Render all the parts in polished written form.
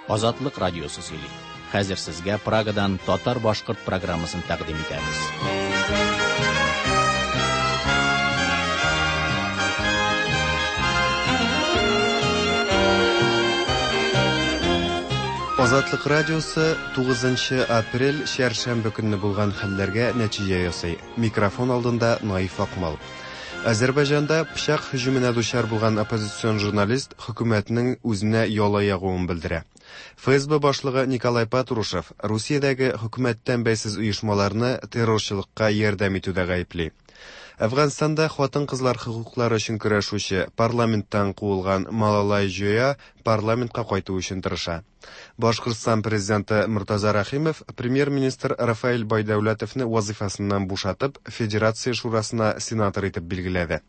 Азатлык радиосы сөйли. Хәзер сезгә Прагадан татар-башкорт программасын тәкъдим итәбез. Азатлык радиосы 9 апрель чәршәмбе көнне булган хәлләргә нәтиҗә ясый. Микрофон алдында Наиф Акмал. Азәрбайҗанда пычак һөҗүменә дучар булган оппозицион журналист хөкүмәтнең үзенә яла ягуын белдерә. ФСБ башлыгы Николай Патрушев Русиядәге хөкүмәттән бәйсез оешмаларны террорчылыкка ярдәм итүдә гаепли. Әфганстанда хатын-кызлар хокуклары өчен көрәшүче, парламенттан куылган Малалай Җоя парламентка кайту өчен тырыша. Башкортстан президенты Мортаза Рәхимов премьер-министр Рафаэль Байдәүләтовны вазыйфасыннан бушатып, Федерация шурасына сенатор итеп билгеләде.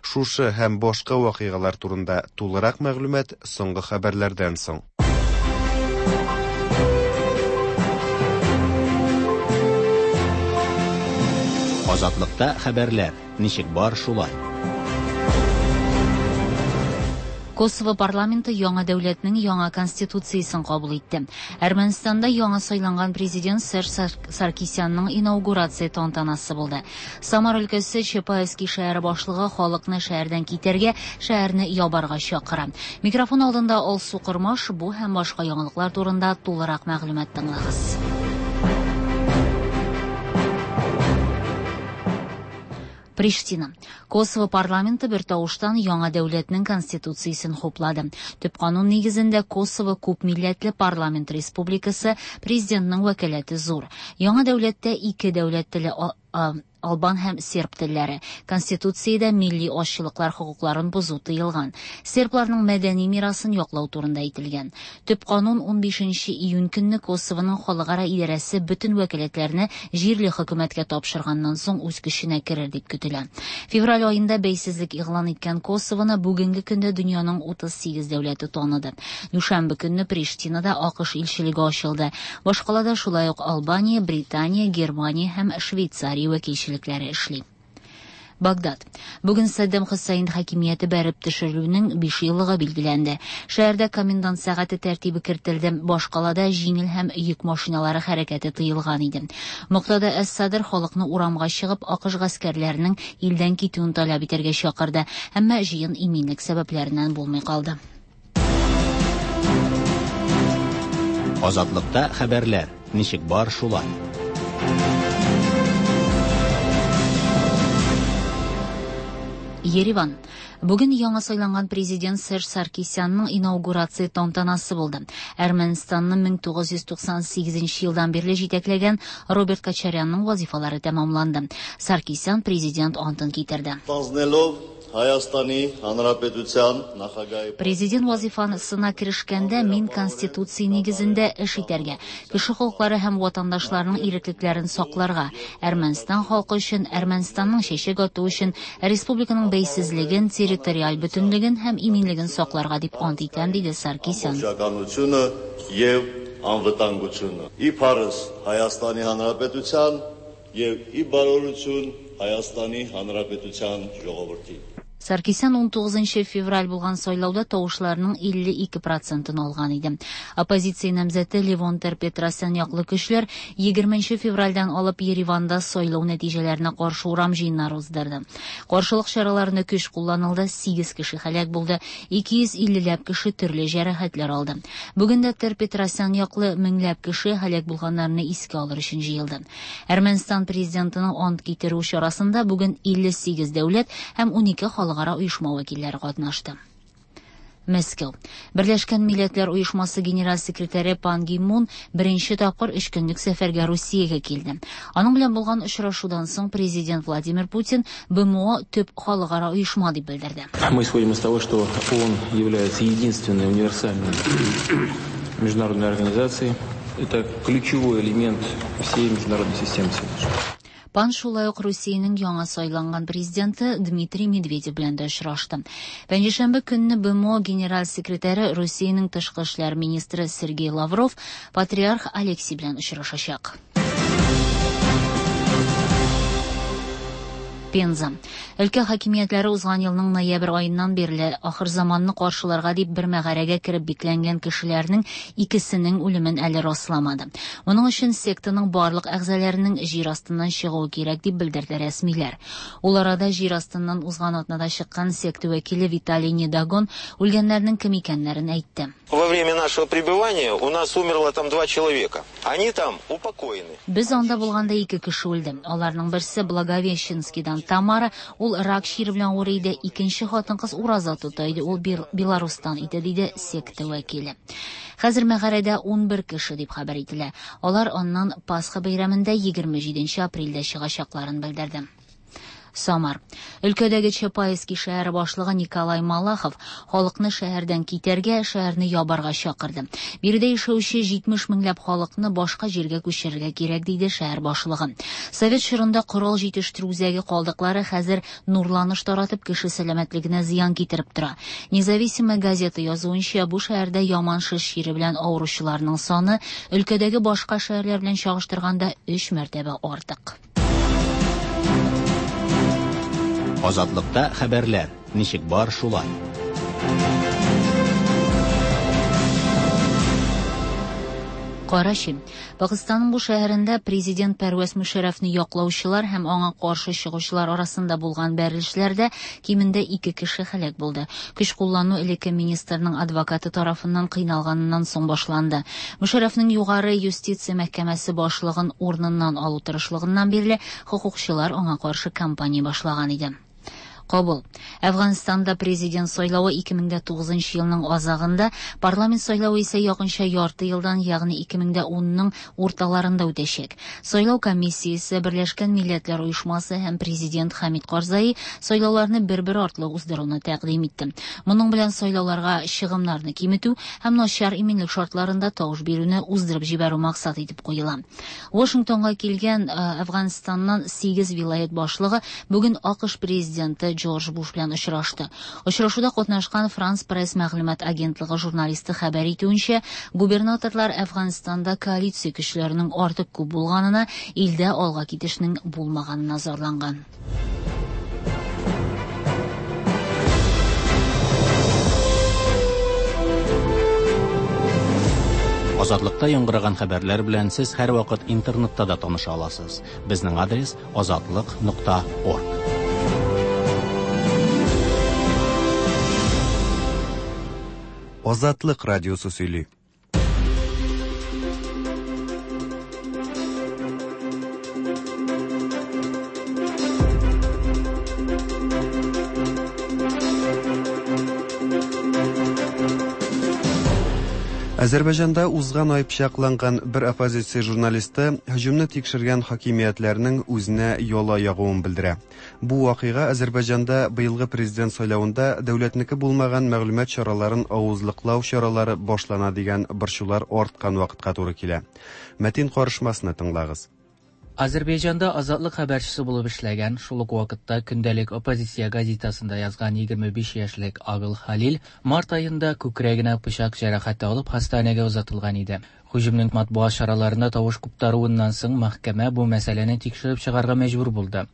Шушы һәм башка вакыйгалар турында тулырак мәгълүмат соңгы хәбәрләрдән соң. Азатлыкта хәбәрләр, ничек бар шулай. Косово парламенты яңа дәүләтнең яңа конституциясен кабул итте. Әрмәнстанда яңа сайланган президент Серж Саркисянның инаугурация тантанасы булды. Самар өлкәсе Чапаевский шәһәре башлыгы халыкны шәһәрдән китәргә, шәһәрне ябарга чакыра. Микрофон алдында Алсу Кормаш бу һәм башка яңалыклар турында тулырак мәгълүмат тыңлагыз. Приштина. Косово парламенты бертавыштан яңа дәүләтнең конституциясен хуплады. Төп канун нигезендә Косово күп милләтле парламент республикасы, президентның вәкаләте зур. Яңа дәүләттә ике дәүләт теле албан һәм серб телләре. Конституциядә милли азчылыклар хокукларын бозу тыелган. Сербларның мәдәни мирасын яклау турында әйтелгән. Төп канун 15 июнь көнне Косованың халыкара идарәсе бөтен вәкаләтләрне җирле хөкүмәткә тапшырганнан соң үз көченә керер дип көтелә. Февраль аенда бәйсезлек игълан иткән Косованы бүгенге көндә дөньяның 38 дәүләте таныды. Дүшәмбе көнне Приштинада АКШ илчелеге ачылды. Башкалада шулай ук Албания, Британия, Германия һәм Швейцария вәкилчелекләре эшли. Багдад. Бүген Саддам Хөсәйн хакимияте бәреп төшерелүнең 5 еллыгы билгеләнде. Шәһәрдә комендант сәгате тәртибе кертелде. Башкалада җиңел һәм йөк машиналары хәрәкәте тыелган иде. Муктада әс-Садр халыкны урамга чыгып, АКШ гаскәрләренең илдән китүен таләп итәргә чакырды. Әмма җыен иминлек сәбәпләреннән булмый калды. Азатлыкта хәбәрләр, ничек бар шулай. Ереван. Бүген яңа сайланган президент Серж Саркисянның инаугурация тантанасы булды. Әрмәнстанны 1998 елдан бирле җитәкләгән Роберт Кочарянның вазифалары тәмамланды. Саркисян президент антын китерде. Հայաստանի Հանրապետության նախագահի Президент вазифасына керешкәндә мин Конституция нигезендә эш итәргә, кеше хокуклары һәм ватандашларның иреклекләрен сакларга, Әрмәнстан халкы өчен, Әрмәнстанның чәчәк атуы өчен, республиканың бәйсезлеген, территориаль бөтенлеген һәм иминлеген сакларга дип ант итәм, диде Саркисян. ամբողջականությունը եւ անվտանգությունը։ Ի փառս Հայաստանի Հանրապետության եւ ի բարօրություն Հայաստանի Հանրապետության ժողովրդի։ Саркисян 19 февраль булган сайлауда тавышларның 52 процентын алган иде. Оппозиция намзәте Левон Тер-Петросян яклы көчләр 20 февральдән алып Ереванда сайлау нәтиҗәләренә каршы урам җыеннары уздырды. Каршылык чараларында көч кулланылды, 8 кеше һәлак булды, 250 ләп кеше төрле җәрәхәтләр алды. Бүген дә Тер-Петросян яклы меңләп кеше һәлак булганнарны искә алыр өчен җыелды. Әрмәнстан президентының ант китерү чарасында бүген 58 дәүләт һәм 12 халыкара оешма вәкилләре катнашты. Мәскәү. Берләшкән Милләтләр Оешмасы генераль секретаре Пан Ги Мун беренче тапкыр өч көнлек сәфәргә Русиягә килде. Аның белән булган очрашудан соң президент Владимир Путин БМО төп халыкара оешма дип белдерде. Мы исходим из того, что ООН является единственной универсальной международной организацией. Это ключевой элемент всей международной системы сегодняшней. Пан шулай ук Русиянең яңа сайланган президенты Дмитрий Медведев белән дә очрашты. Пәнҗешәмбе көнне БМО генераль секретаре Русиянең тышкы эшләр министры Сергей Лавров патриарх Алексий белән очрашачак. Пенза. Өлкә хакимиятләре узган елның ноябрь аеннан бирле ахырзаманны каршыларга дип бер мәгарәгә кереп бикләнгән кешеләрнең икесенең үлемен әле расламады. Моның өчен сектаның барлык әгъзаларының җир астыннан чыгуы кирәк дип белдерде рәсмиләр. Ул арада җир астыннан узган атнада чыккан секта вәкиле Виталий Недогон үлгәннәрнең кем икәннәрен әйтте. Во время нашего пребывания у нас умерло там 2 человека. Они там упокоены. Без анда булганда 2 кеше үлде. Аларның берсе Благовещенскийдан Тамара, ул рак чире белән авырый иде. Икенче хатын-кыз ураза тота иде, ул Беларустан иде, диде секта вәкиле. Хәзер мәгарәдә 11 кеше дип хәбәр ителә. Алар аннан Пасха бәйрәмендә 27 апрельдә чыгачакларын белдерде. Самар. Өлкәдәге Чапаевский шәһәре башлыгы Николай Малахов халыкны шәһәрдән китәргә, шәһәрне ябарга чакырды. Биредә яшәүче 70 меңләп халыкны башка җиргә күчерергә кирәк, диде шәһәр башлыгы. Совет чорында корал җитештерү үзәге калдыклары хәзер нурланыш таратып кеше сәламәтлегенә зыян китереп тора. Независимая газета язуынча, бу шәһәрдә яман шеш чире белән авыручыларның саны өлкәдәге башка шәһәрләр белән чагыштырганда 3 мәртәбә артык. Азатлыкта хәбәрләр ничек бар шулай. Карачи. Пакистанның бу шәһәрендә президент Пәрвәз Мөшәрәфне яклаучылар һәм аңа каршы чыгучылар арасында булган бәрелешләрдә кимендә 2 кеше һәлак булды. Көч куллану элекке министрның адвокаты тарафыннан кыйналганыннан соң башланды. Мөшәрәфнең югары юстиция мәхкәмәсе башлыгын урыныннан алу тырышлыгыннан бирле хукукчылар аңа каршы кампания башлаган иде. Кабул. Әфганстанда президент сайлавы 2009 елның азагында, парламент сайлавы исә якынча ярты елдан, ягъни 2010-ның урталарында үтәчәк. Сайлау комиссиясе, Берләшкән Милләтләр Оешмасы һәм президент Хамид Карзаи сайлауларны бер-бер артлы уздыруны тәкъдим итте. Моның белән сайлауларга чыгымнарны киметү һәм начар иминлек шартларында тавыш бирүне уздырып җибәрү максат итеп куела. Вашингтонга килгән Әфганстаннан 8 вилаят башлыгы бүген АКШ президенты Джордж Буш белән очрашты. Очрашуда катнашкан Франс Пресс мәгълүмат агентлыгы журналисты хәбәр итүенчә, губернаторлар Әфганстанда коалиция көчләренең артык күп булганына, илдә алга китешнең булмаганына зарланган. Азатлыкта яңгыраган хәбәрләр белән сез һәрвакыт интернетта да таныша аласыз. Безнең адрес azatliq.org. Азатлык радиосы сөйли. Азербайҗанда узган ай пычакланган бер оппозиция журналисты һөҗүмне тикшергән хакимиятләрнең үзенә яла ягуын белдерә. Бу вакыйга Азербайҗанда быелгы президент сайлавында дәүләтнеке булмаган мәгълүмат чараларын авызлыклау чаралары башлана дигән борчулар арткан вакытка туры килә. Мәтин карышмасны тыңлагыз. Азербайҗанда Азатлык хәбәрчесе булып эшләгән, шул ук вакытта көндәлек оппозиция газетасында язган 25 яшьлек Агыл Халил март аенда күкрәгенә пычак җәрәхәте алып хастаханәгә озатылган иде. Һөҗүмнең матбугат чараларында тавыш куптаруыннан соң мәхкәмә бу мәсьәләне тикшереп чыгарга мәҗбүр булды.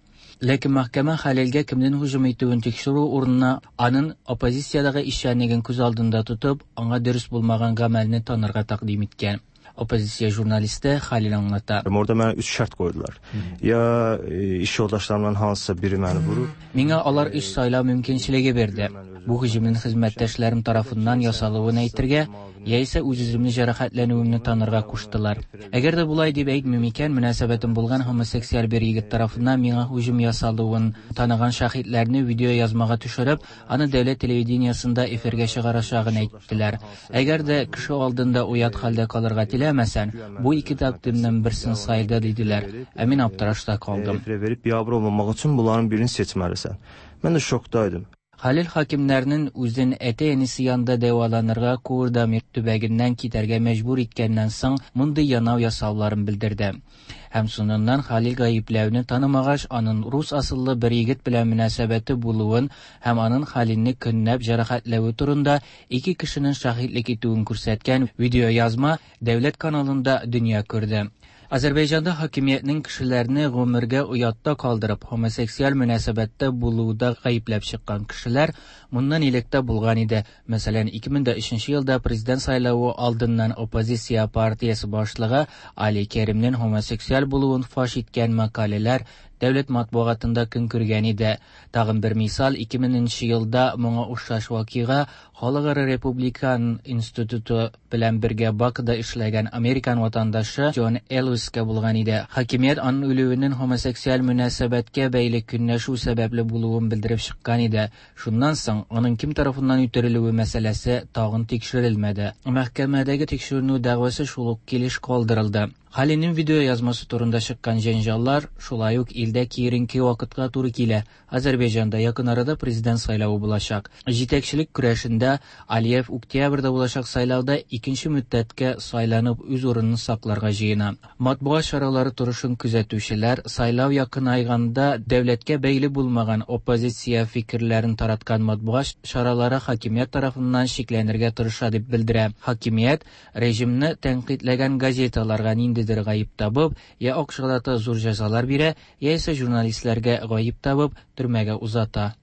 Ләкин мәхкәмә Халилгә кемнең һөҗүм итүен тикшерү урынына аның оппозициядәге эшчәнлеген күз алдында тотып, аңа дөрес булмаган гамәлне танырга тәкъдим иткән. Оппозиция журналисты Халил аңлата. Orada mənə 3 şərt qoydular. Ya iş yoldaşlarımdan hansısa biri məni vurur. Миңа алар 3 сайлау мөмкинчелеге бирде. Бу һөҗүмнең хезмәттәшләрем тарафыннан ясалуын әйтергә, яисә үз-үземне җәрәхәтләнүемне танырга куштылар. Әгәр дә булай дип әйтмим икән, мөнәсәбәтем булган гомосексуаль бер егет тарафыннан миңа һөҗүм ясалуын таныган шаһитләрне видео язмага төшереп, аны дәүләт телевидениесендә эфиргә чыгарачагын әйттеләр. Әгәр дә кеше алдында оят хәлдә калырга теләмәсән, бу ике тәкъдимнең берсен сайла диделәр. Ә мин аптырашта калдым. Efirə verib biabır olmamaq üçün bunların birini seçməlisən. Mən də şokdaydım. Халил хакимнәрнең үзен әти-әнисе янында дәваланырга Курдамир төбәгеннән китәргә мәҗбүр иткәннән соң мондый янау ясауларын белдерде. Һәм соңыннан Халил гаепләүне танымагач, аның рус асыллы бер егет белән мөнәсәбәте булуын һәм аның Халилне көнләп җәрәхәтләве турында ике кешенең шаһитлек итүен күрсәткән видеоязма дәүләт каналында дөнья күрде. Азәрбайҗанда хакимиятнең кешеләрне гомергә оятта калдырып, хомосексуаль мөнәсәбәттә булуда гаепләп чыккан кешеләр моннан элек тә булган иде. Мәсәлән, 2003 елда президент сайлавы алдыннан оппозиция партиясе башлыгы Али Керимнең хомосексуаль булуын фаш иткән мәкаләләр дәүләт матбугатында көн күргән иде. Тагын бер мисал, 2000 елда моңа охшаш вакыйга Халыкара Републикан институты белән бергә Бакуда эшләгән американ ватандашы Джон Элвискә булган иде. Хакимият аның үлүенең хомосексуаль мөнәсәбәткә бәйле көнләшү сәбәпле булуын белдереп чыккан иде. Шуннан соң аның кем тарафыннан үтерелүе мәсьәләсе тагын тикшерелмәде. Мәхкәмәдәге тикшеренү дәгъвасы шул ук килеш калдырылды. Халинең видео язмасы турында чыккан җәнҗаллар шулай ук илдә киеренке вакытка туры килә. Азәрбайҗанда якын арада президент сайлавы булачак. Җитәкчелек көрәшендә Алиев октябрьдә булачак сайлауда икенче мөддәткә сайланып үз урынын сакларга җыена. Матбугат чаралары торышын күзәтүчеләр сайлау якынайганда дәүләткә бәйле булмаган оппозиция фикерләрен тараткан матбугат чаралары хакимият тарафыннан чикләнергә тырыша дип белдерә. Хакимият режимны тәнкыйтьләгән газеталарга ниндидер гаеп табып, я акчалата зур җәзалар бирә, яисә журналистларга гаеп табып, төрмәгә узата.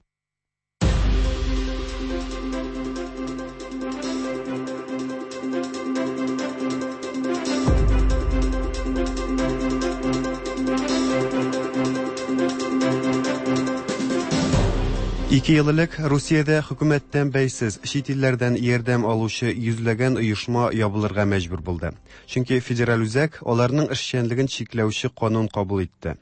Ике ел элек Русиядә хөкүмәттән бәйсез чит илләрдән ярдәм алучы йөзләгән оешма ябылырга мәҗбүр булды. Чөнки федераль үзәк аларның эшчәнлеген чикләүче канун кабул итте.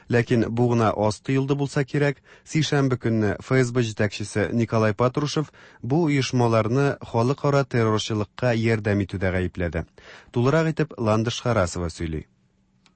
Ләкин бу гына аз тоелды булса кирәк, сишәмбе көнне ФСБ җитәкчесе Николай Патрушев бу оешмаларны халыкара террорчылыкка ярдәм итүдә гаепләде. Тулырак итеп Ландыш Харасова сөйли.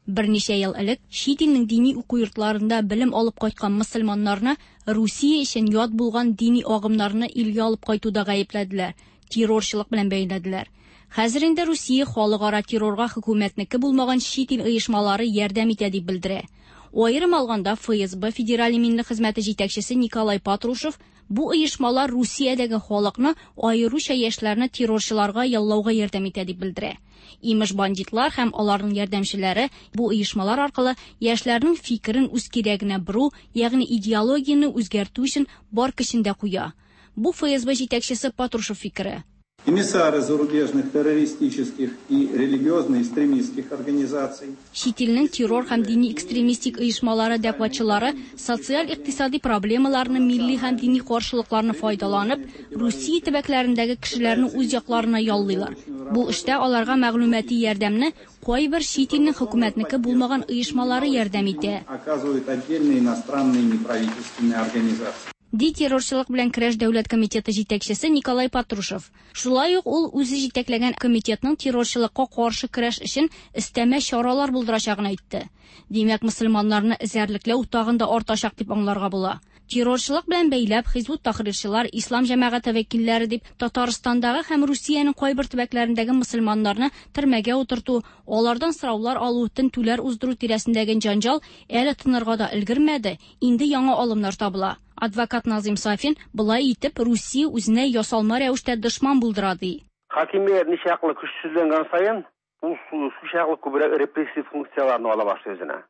Берничә ел элек чит илнең дини уку йортларында белем алып кайткан мөселманнарны Русия өчен ят булган дини агымнарны илгә алып кайтуда гаепләделәр, террорчылык белән бәйләделәр. Хәзер инде Русия халыкара террорга хөкүмәтнеке булмаган чит ил оешмалары ярдәм итә дип белдерә. Аерым алганда ФСБ Федераль иминлек хезмәте җитәкчесе Николай Патрушев бу оешмалар Русиядәге халыкны, аеруча яшьләрне террорчыларга яллауга ярдәм итә дип белдерә. Имеш бандитлар һәм аларның ярдәмчеләре бу оешмалар аркылы яшьләрнең фикерен үз кирәгенә бору, ягъни идеологияне үзгәртү өчен бар көчен дә куя. Бу ФСБ җитәкчесе Патрушев фикере. Эмиссары зарубежных террористических и религиозно-экстремистских организаций. Чит илнең террор һәм дини экстремистик оешмалары дәгъватчылары социаль-икътисади проблемаларны, милли һәм дини каршылыкларны файдаланып, Русия төбәкләрендәге кешеләрне үз якларына яллыйлар. Бу эштә аларга мәгълүмати ярдәмне кайбер чит илнең хөкүмәтнеке булмаган оешмалары ярдәм итә. Оказывают отдельные иностранные неправительственные организации. Ди террорчылык белән көрәш дәүләт комитеты җитәкчесе Николай Патрушев. Шулай ук ул үзе җитәкләгән комитетның террорчылыкка каршы көрәш өчен өстәмә чаралар булдырачагын әйтте. Димәк, мөселманнарны эзәрлекләү тагын да артачак дип аңларга була. Террорчылык белән бәйләп Хизбут Тахрирчылар, Ислам җәмәгате вәкилләре дип Татарстандагы һәм Русиянең кайбер төбәкләрендәге мөселманнарны төрмәгә утырту, алардан сораулар алу, тентүләр уздыру тирәсендәге җанҗал әле тынырга да өлгермәде, инде яңа алымнар табыла. Адвокат Назим Сафин былай итеп Русия үзенә ясалма рәвештә дошман булдыра ди. Хакимият ничаклы көчсезләнгән саен, ул шулчаклы күбрәк репрессив функцияларны ала башлый үзенә.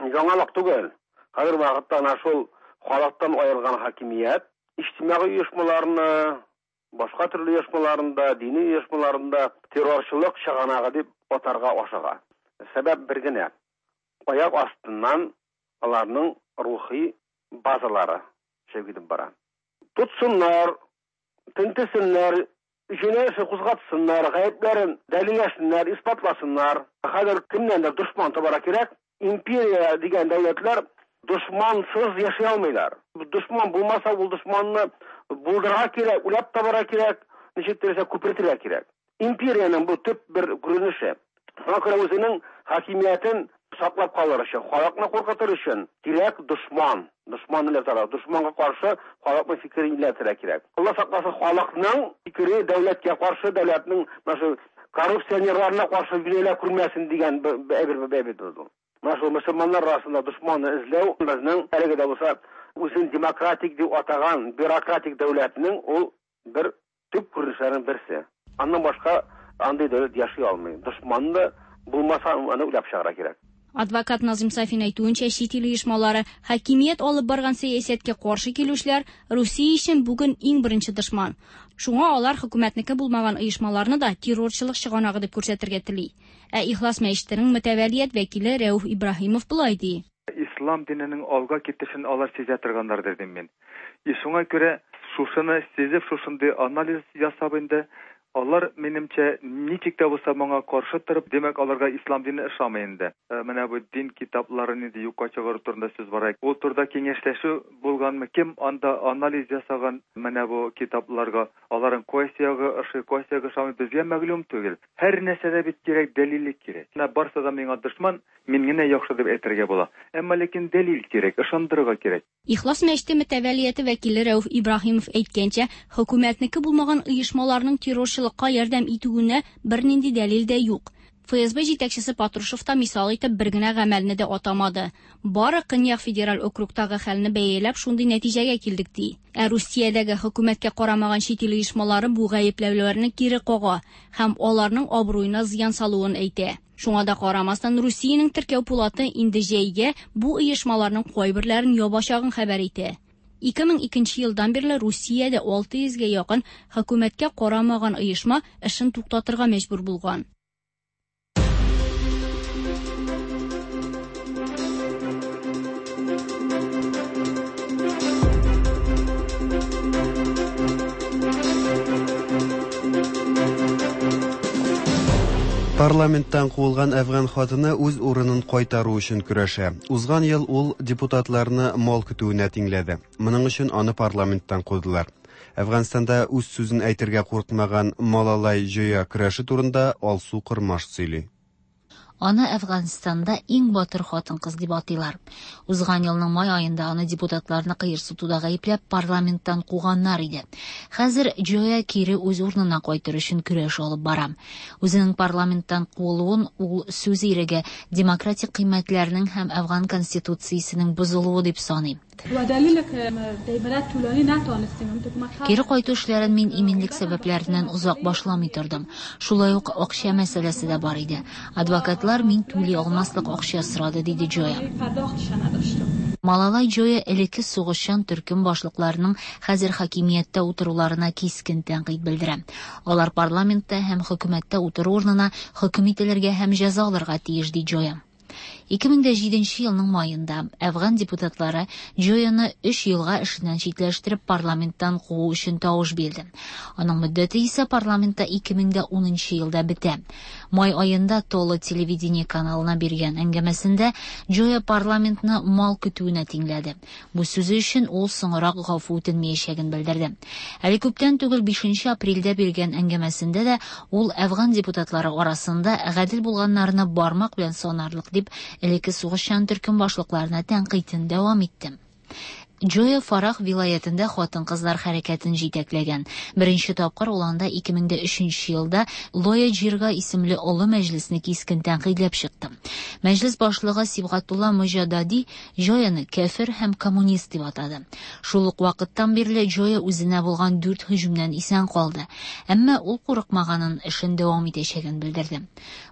Яңалык түгел. Хәзер вакытта ана шул халыктан аерылган хакимият иҗтимагый оешмаларны, башка төрле оешмаларында, дини оешмаларында террорчылык чыганагы дип атарга ашыга. Сәбәп бер генә. Аяк астыннан аларның рухи базалары китеп бара. Тотсыннар, тентесеннәр, җинаять кузгатсыннар, гаепләрен дәлилләсеннәр, исбатласыннар. Хәзер кемнәндер дошман табарга кирәк. Империя дигән дәүләтләр дошмансыз яши алмыйлар. Дошман булмаса, ул дошманны булдырырга кирәк, уйлап табарга кирәк, ничек теләсә күпертергә кирәк. Империянең бу төп бер күренеше. Шуңа күрә үзенең хакимиятен саклап калыр өчен, халыкны куркытыр өчен кирәк дошман. Дошман иләтергә, дошманга каршы халыкның фикерен иләтергә кирәк. Алла сакласын, халыкның фикере дәүләткә каршы, дәүләтнең менә шу коррупционерларына каршы юнәлә күрмәсен дигән әйбер бит ул. Менә шул мөселманнар арасында дошманны эзләү безнең әлеге дә булса үзен демократик дип атаган бюрократик дәүләтнең ул бер төп күренешләренең берсе. Аннан башка андый дәүләт яши алмый. Дошманны Булмаса, аны уйлап чыгарга кирәк. Адвокат Назым Сафин әйтүенчә, чит ил оешмалары, хакимият алып барган сәясәткә каршы килүчеләр Русия өчен бүген иң беренче дошман. Шуңа алар хөкүмәтнеке булмаган оешмаларны да террорчылык чыганагы дип күрсәтергә тели. Ә Ихлас мәчетенең мөтәвәлият вәкиле Рәүф Ибраһимов болай ди. Ислам диненең алга китешен алар сизә торганнардыр дим мин. И шуңа күрә шушыны сизеп, шушындый анализ ясап инде, алар, минемчә, ничек тә булса моңа каршы торып, димәк, аларга ислам дине ошамый инде. Менә бу дин китапларын инде юкка чыгару турында сүз бара. Ул турыда киңәшләшү булганмы? Кем анда анализ ясаган менә бу китапларга? Аларның кайсы ягы ошый, кайсы ягы ошамый, безгә мәгълүм түгел. Һәр нәрсәдә бит кирәк, дәлиллек кирәк. Менә барсы да миңа дошман, мин генә яхшы дип әйтергә була. Әмма ләкин дәлил кирәк, ышандырырга кирәк. Ихлас мәчете мөтәвәлияте вәкиле Рәүф Ибраһимов әйткәнчә, хөкүмәтнеке булмаган оешмаларның террорчылыкка ярдәм итүенә бернинди дәлил дә юк. ФСБ җитәкчесе Патрушев та мисал итеп бер генә гамәлне дә атамады. Бары Көньяк федераль округтагы хәлне бәяләп шундый нәтиҗәгә килдек ди. Ә Русиядәге хөкүмәткә карамаган чит ил оешмалары бу гаепләүләрне кире кага һәм аларның абруена зыян салуын әйтә. Шуңа да карамастан, Русиянең теркәү пулаты инде җәйгә бу оешмаларның кайберләрен ябачагын хәбәр итә. 2002 елдан бирле Русиядә 600гә якын хөкүмәткә карамаган оешма эшен туктатырга мәҗбүр булган. Парламенттан куылган әфган хатыны үз урынын кайтару өчен көрәшә. Узган ел ул депутатларны мал көтүенә тиңләде. Моның өчен аны парламенттан кудылар. Әфганстанда үз сүзен әйтергә курыкмаган Малалай Җоя көрәше турында Алсу Кормаш сөйли. Аны Әфганстанда иң батыр хатын-кыз дип атыйлар. Узган елның май аенда аны депутатларны кыерсытуда гаепләп парламенттан куганнар иде. Хәзер Җоя кире үз урынына кайтыр өчен көрәш алып бара. Үзенең парламенттан куылуын ул сүз иреге, демократик кыйммәтләрнең һәм Әфган конституциясенең бозылуы дип саный. Кире кайту эшләрен мин иминлек сәбәпләреннән озак башламый тордым. Шулай ук акча мәсьәләсе дә бар иде. Адвокатлар мин түли алмаслык акча сорады, диде Җоя. Малалай Җоя элекке сугышчан төркем башлыкларының хәзер хакимияттә утыруларына кискен тәнкыйть белдерә. Алар парламентта һәм хөкүмәттә утыру урынына хөкем ителергә һәм җәза алырга тиеш, ди Җоя. 2007 елның маенда Әфган депутатлары Җояны 3 елга эшеннән читләштереп парламенттан куу өчен тавыш бирде. Аның мөддәте исә парламентта 2010 елда бетә. Май аенда Толы телевидение каналына биргән әңгәмәсендә Җоя парламентны мал көтүенә тиңләде. Бу сүзе өчен ул соңрак гафу үтенмәячәген белдерде. Әле күптән түгел 5 апрельдә биргән әңгәмәсендә дә ул Әфган депутатлары арасында гадел булганнарны бармак белән санарлык дип элекке сугышчан төркем башлыкларына тәнкыйтен дәвам итте. Җоя Фарах вилаятендә хатын-кызлар хәрәкәтен җитәкләгән. Беренче тапкыр ул анда 2003 елда Лоя Җирга исемле олы мәҗлесне кискен тәнкыйтьләп чыкты. Мәҗлес башлыгы Сибгатулла Мөҗадади Җояны кәфер һәм коммунист дип атады. Шул ук вакыттан бирле Җоя үзенә булган 4 һөҗүмнән исән калды. Әмма ул курыкмаганын, эшен дәвам итәчәген белдерде.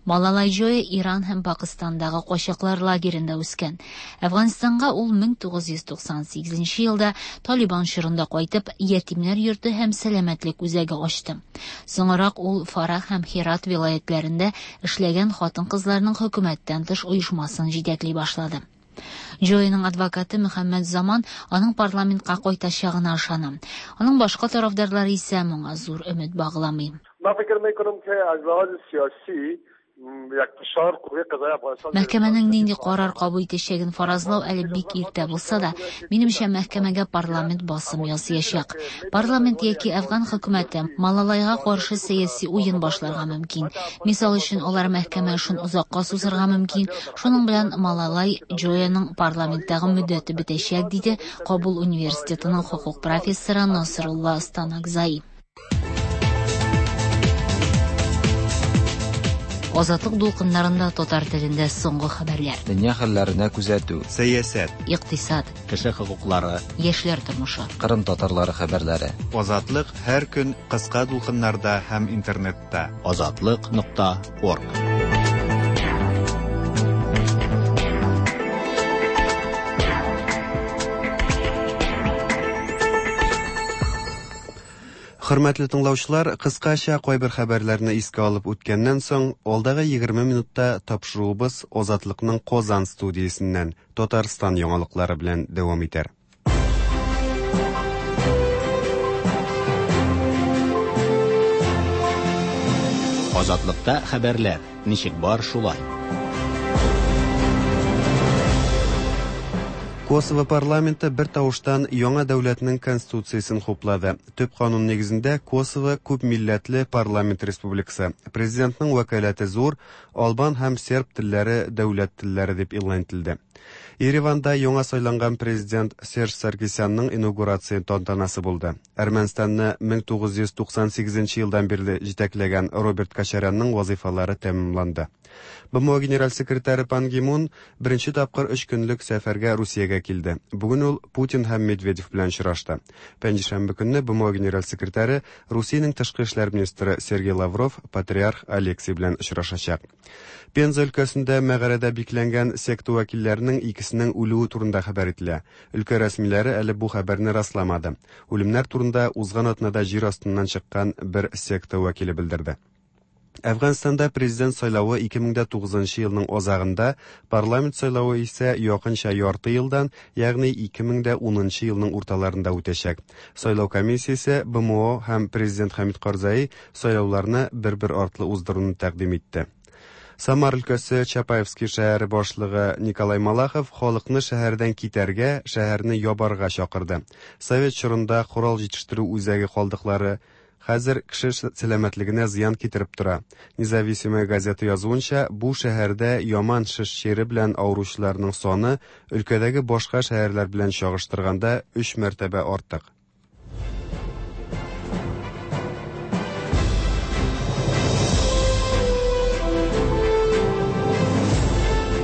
Малалай Җоя Иран һәм Пакистандагы качаклар лагерендә үскән. Әфганстанга ул 1998 елда Талибан чорында кайтып, ятимнәр йорты һәм сәламәтлек үзәге ачты. Соңрак ул Фарах һәм Херат вилаятләрендә эшләгән хатын-кызларның хөкүмәттән тыш оешмасын җитәкли башлады. Җояның адвокаты Мөхәммәд Заман аның парламентка кайтачагына ышана. Аның башка тарафдарлары исә моңа зур өмет багламый. Мәхкәмәнең нинди карар кабул итәчәген фаразлау әле бик иртә булса да, минемчә, мәхкәмәгә парламент басым ясаячак. Парламент яки Әфган хөкүмәте Малалайга каршы сәяси уен башларга мөмкин. Мисал өчен, алар мәхкәмә эшен озакка сузырга мөмкин. Шуның белән Малалай Җояның парламенттагы мөддәте бетәчәк, диде Кабул университетының хокук профессоры Насрулла Станакзай. Азатлык дулкыннарында татар телендә соңгы хәбәрләр. Дөнья хәлләренә күзәтү. Сәясәт. Икътисад. Кеше хокуклары. Яшьләр тормышы. Кырым татарлары хәбәрләре. Азатлык һәр көн кыска дулкыннарда һәм интернетта. Азатлык.орг. Хөрмәтле тыңлаучылар, кыскача кайбер хәбәрләрне искә алып үткәннән соң, алдагы 20 минутта тапшыруыбыз Азатлыкның Казан студиясеннән Татарстан яңалыклары белән дәвам итәр. Азатлыкта хәбәрләр ничек бар шулай. Косово парламенты бер тавыштан яңа дәүләтнең конституциясен хуплады. Төп канун нигезендә Косово күп милләтле парламент республикасы. Президентның вәкаләте зур, албан һәм серб телләре дәүләт телләре дип игълан ителде. Ереванда яңа сайланган президент Серж Саркисянның инаугурация тантанасы булды. Әрмәнстанны 1998 елдан бирле җитәкләгән Роберт Кочарянның вазыйфалары тәмамланды. БМО генераль секретаре Пан Ги Мун беренче тапкыр өч көнлек сәфәргә Русиягә килде. Бүген ул Путин һәм Медведев белән очрашты. Пәнҗешәмбе көнне БМО генераль секретаре Русиянең тышкы эшләр министры Сергей Лавров патриарх Алексий белән очрашачак. Пенза өлкәсендә мәгарәдә бикләнгән секта вәкилләренең икесенең үлүе турында хәбәр ителә. Өлкә рәсмиләре әле бу хәбәрне расламады. Үлемнәр турында узган атнада җир астыннан чыккан бер секта вәкиле белдерде. Әфганстанда президент сайлавы 2009 елның азагында, парламент сайлавы исә якынча ярты елдан, ягъни 2010 елның урталарында үтәчәк. Сайлау комиссиясе БМО һәм президент Хәмид Карзаи сайлауларны бер-бер артлы уздыруны тәкъдим итте. Самар өлкәсе Чапаевский шәһәре башлыгы Николай Малахов халыкны шәһәрдән китәргә, шәһәрне ябарга чакырды. Совет чорында корал җитештерү үзәге калдыклары хәзер кеше сәламәтлегенә зыян китереп тора. Независимая газета язуынча, бу шәһәрдә яман шеш чире белән авыручыларның саны өлкәдәге башка шәһәрләр белән чагыштырганда 3 мәртәбә артык.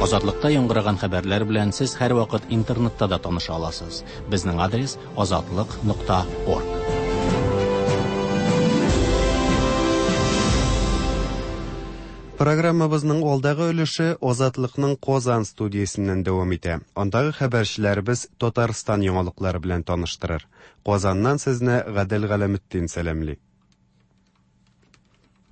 Азатлыкта яңгыраган хәбәрләр белән сез һәрвакыт интернетта да таныша аласыз. Безнең адрес азатлык.орг. Программабызның алдагы өлеше Азатлыкның Казан студиясеннән дәвам итә. Андагы хәбәрчеләребез Татарстан яңалыклары белән таныштырыр. Казаннан сезне Гадел Галәметдин сәламли.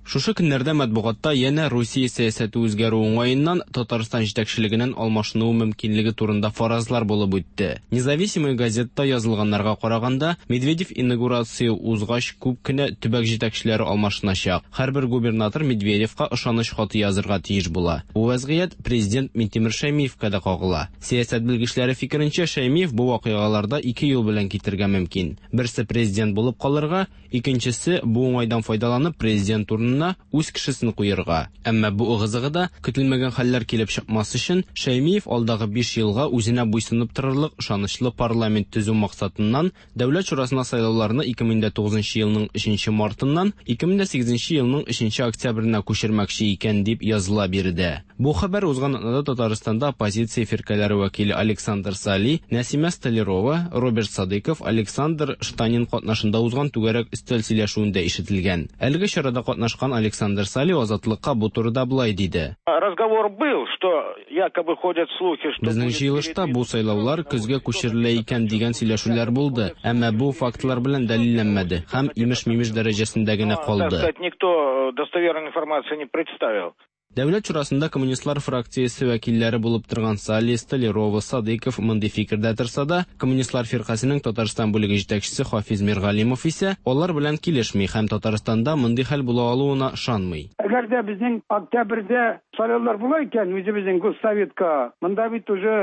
Шушы көннәрдә матбугатта янә Русия сәясәте үзгәрү уңаеннан Татарстан җитәкчелегенең алмашынуы мөмкинлеге турында фаразлар булып үтте. Независимая газетта язылганнарга караганда, Медведев инаугурация узгач күп кенә төбәк җитәкчеләре алмашыначак. Һәрбер губернатор Медведевка ышаныч хаты язырга тиеш була. Бу вәзгыять президент Минтимер Шәймиевка да кагыла. Сәясәт белгечләре фикеренчә, Шәймиев бу вакыйгаларда ике юл белән китергә мөмкин. Берсе президент булып калырга, икенчесе бу уңайдан файдаланып президент урынына үз кешесен куярга. Әмма бу ыгы-зыгыда көтелмәгән хәлләр килеп чыкмас өчен Шәймиев алдагы 5 елга үзенә буйсынып торырлык ышанычлы парламент төзү максатыннан Дәүләт шурасына сайлауларны 2009 елның 3 мартыннан 2008 елның 3 октябренә күчермәкче икән дип языла биредә. Бу хәбәр узган атнада Татарстанда оппозиция фиркәләре вәкиле Александр Сали, Нәсимә Столярова, Роберт Садыйков, Александр Штанин катнашында узган түгәрәк өстәл сөйләшүендә ишетелгән. Әлеге чарада катнашкан Александр Сали Азатлыкка бу турыда болай диде. Разговор был, что якобы ходят слухи, что Безнең җыелышта бу сайлаулар көзгә күчерелә икән дигән сөйләшүләр булды, әмма бу фактлар белән дәлилләнмәде һәм имеш-мимеш дәрәҗәсендә генә Так калды. сказать, никто достоверной информации не представил. Дәүләт шурасында коммунистлар фракциясе вәкилләре булып торган Сали, Столярова, Садыйков мондый фикердә торса да, коммунистлар фиркасының Татарстан бүлеге җитәкчесе Хафиз Миргалимов исә алар белән килешми һәм Татарстанда мондый хәл була алуына ышанмый. Әгәр дә безнең октябрьдә сайлаулар була икән, үзебезнең Госсоветка, монда бит уже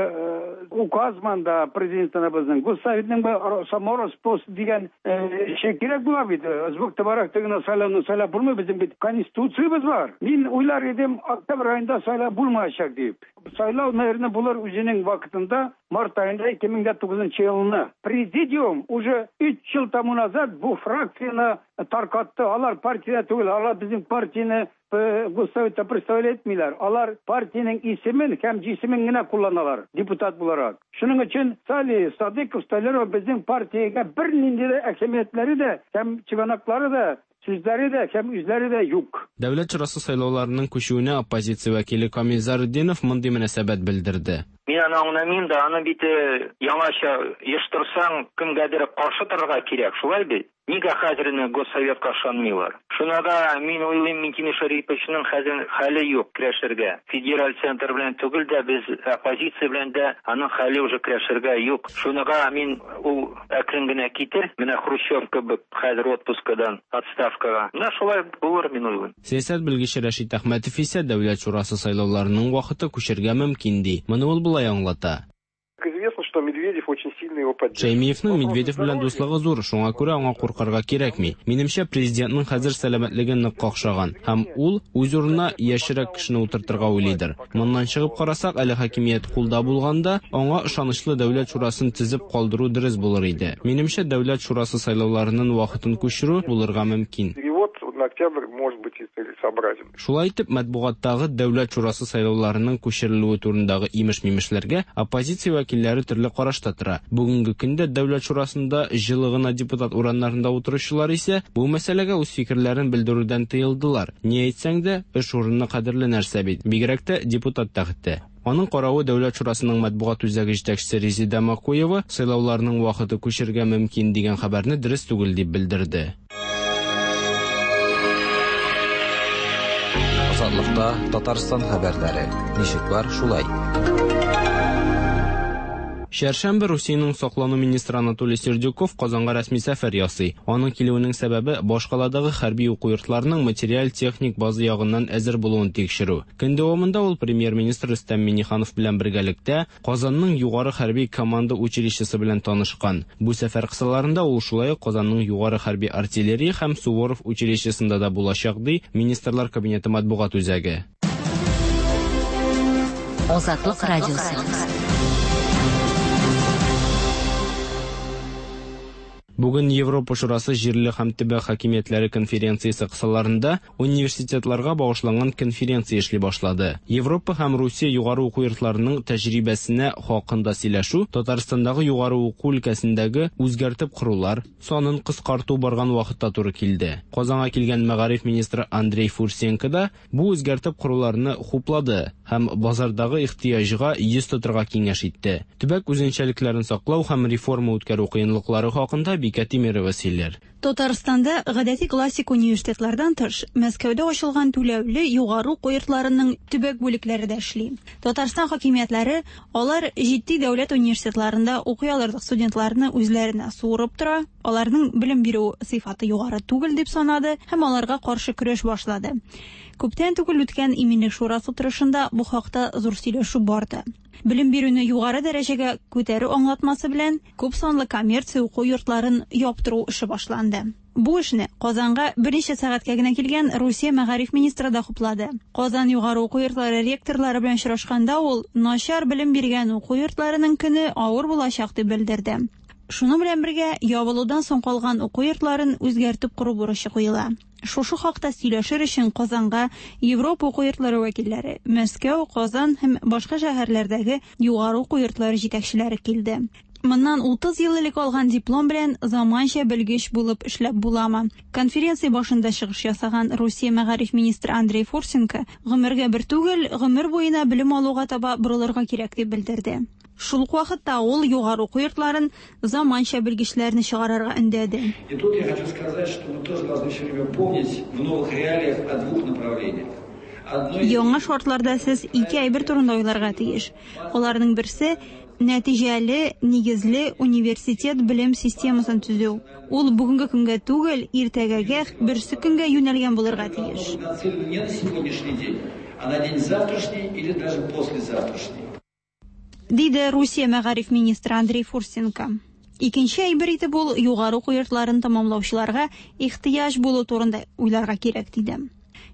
указ монда президентыбызның Госсоветның самороспуск дигән эше кирәк була бит. Звук товарах гына сайлауны сайлап булмый, безнең бит конституциябез бар. Мин уйлар идем, октябрь айында сайлау булмаячак дип. Сайлау, наверное, булыр үзенең вакытында, март айында 2009 елны. Президиум уже 3 ел тому назад бу фракцияне таркатты. Алар партия түгел, алар безнең партияне Госсоветта представлять итмиләр. Алар партиянең исемен һәм җисемен генә кулланалар депутат буларак. Шуның өчен Сали, Садыков, Столяров безнең партиягә бернинди дә әһәмиятләре дә һәм чыганаклары да, сүзләре дә һәм үзләре дә юк. Дәүләт шурасы сайлауларының күчүенә оппозиция вәкиле Камил Зарудинов мондый мөнәсәбәт белдерде. Мин аны аңламыйм да, аны бит яңача оештырсаң, кемгәдер каршы торырга кирәк, шулай бит? Нигә хәзер инде Госсоветка ышанмыйлар? Шуна да мин уйлыйм, Минтимер Шәриповичның хәзер хәле юк көрәшергә. Федераль центр белән түгел дә, без оппозиция белән дә аның хәле уже көрәшергә юк. Шунага мин ул әкрен генә китер, менә Хрущев кебек хәзер отпускадан отставкага. Менә шулай булыр, мин уйлыйм. Сәясәт белгече Рәшит Әхмәтов исә Дәүләт шурасы сайлауларының вакыты күчәргә мөмкин ди. Моны ул болай аңлата. Известно, что Медведев очень сильно его поддерживает. Шәймиевнең Медведев белән дуслыгы зур, шуңа күрә аңа куркырга кирәкми. Минемчә, президентның хәзер сәламәтлеге нык какшаган һәм ул үз урынына яшьрәк кешене утыртырга уйлыйдыр. Моннан чыгып карасак, әле хакимият кулда булганда, аңа ышанычлы Дәүләт шурасын төзеп калдыру дөрес булыр иде. Минемчә, Дәүләт шурасы сайлауларының вакытын күчерү булырга мөмкин. Перевод на октябрь может быть и целесообразен. Шулай итеп, матбугаттагы Дәүләт шурасы сайлауларының күчерелүе турындагы имеш-мимешләргә оппозиция вәкилләре төрле карашта тора. Бүгенге көндә Дәүләт шурасында җылы гына депутат урыннарында утыручылар исә бу мәсьәләгә үз фикерләрен белдерүдән тыелдылар. Ни әйтсәң дә, эш урыны кадерле нәрсә бит, бигрәк тә депутат тәхете. Аның каравы Дәүләт шурасының матбугат үзәге җитәкчесе Резеда Макуева сайлауларның вакыты күчәргә мөмкин дигән хәбәрне дөрес түгел дип белдерде. Азатлыкта Татарстан хәбәрләре. Ничек бар, шулай. Чәршәмбе Русиянең саклану министры Анатолий Сердюков Казанга рәсми сәфәр ясый. Аның килүенең сәбәбе башкаладагы хәрби уку йортларының материаль-техник база ягыннан әзер булуын тикшерү. Көн дәвамында ул премьер-министр Рөстәм Миңнеханов белән бергәлектә Казанның югары хәрби команда училищесы белән танышкан. Бу сәфәр кысаларында ул шулай ук Казанның югары хәрби артиллерия һәм Суворов училищесында да булачак, ди Министрлар Кабинеты матбугат үзәге. Азатлык радиосы. Бүген Европа Шурасы җирле һәм төбәк хакимиятләре конференциясе кысаларында университетларга багышланган конференция эшли башлады. Европа һәм Русия югары уку йортларының тәҗрибәсенә хакында сөйләшү Татарстандагы югары уку өлкәсендәге үзгәртеп корулар санын кыскарту барган вакытта туры килде. Казанга килгән мәгариф министры Андрей Фурсенко да бу үзгәртеп коруларны хуплады һәм базардагы ихтыяҗга йөз тотырга киңәш итте. Төбәк үзенчәлекләрен саклау һәм реформа үткәрү кыенлыклары хакында Бикә Тимирова сөйләр. Татарстанда гадәти классик университетлардан тыш, Мәскәүдә ачылган түләүле югары уку йортларының төбәк бүлекләре дә эшли. Татарстан хакимиятләре алар җитди дәүләт университетларында укый алырлык студентларны үзләренә суырып тора, аларның белем бирү сыйфаты югары түгел дип санады һәм аларга каршы көрәш башлады. Күптән түгел үткән Иминлек шурасы утырышында бу хакта зур сөйләшү барды. Белем бирүне югары дәрәҗәгә күтәрү аңлатмасы белән күп санлы коммерция уку йортларын яптыру эше башланды. Бу эшне Казанга берничә сәгатькә генә килгән Русия мәгариф министры да хуплады. Казан югары уку йортлары ректорлары белән очрашканда ул начар белем биргән уку йортларының көне авыр булачак дип белдерде. Шуның белән бергә ябылудан соң калган уку йортларын үзгәртеп кору бурычы куела. Шушы хакта сөйләшер өчен Казанга Европа уку йортлары вәкилләре, Мәскәү, Казан һәм башка шәһәрләрдәге югары уку йортлары җитәкчеләре килде. Моннан 30 ел элек алган диплом белән заманча белгеч булып эшләп буламы? Конференция башында чыгыш ясаган Русия мәгариф министры Андрей Фурсенко гомергә бер түгел, гомер буена белем алуга таба борылырга кирәк дип белдерде. Шул ук вакытта ул югары уку йортларын заманча белгечләрне чыгарырга өндәде. И тут я хочу сказать, что мы тоже должны все время помнить в новых реалиях о двух направлениях. Одно из Яңа шартларда сез ике әйбер турында уйларга тиеш. Аларның берсе нәтиҗәле, нигезле университет белем системасын төзү. Ул бүгенге көнгә түгел, иртәгәгә, берсе көнгә юнәлгән булырга тиеш. нацелено не на сегодняшний день, а на день завтрашний или даже послезавтрашний. Диде Русия мәгариф министры Андрей Фурсенко. Икенче әйбер итеп ул югары уку йортларын тәмамлаучыларга ихтыяҗ булу турында уйларга кирәк диде.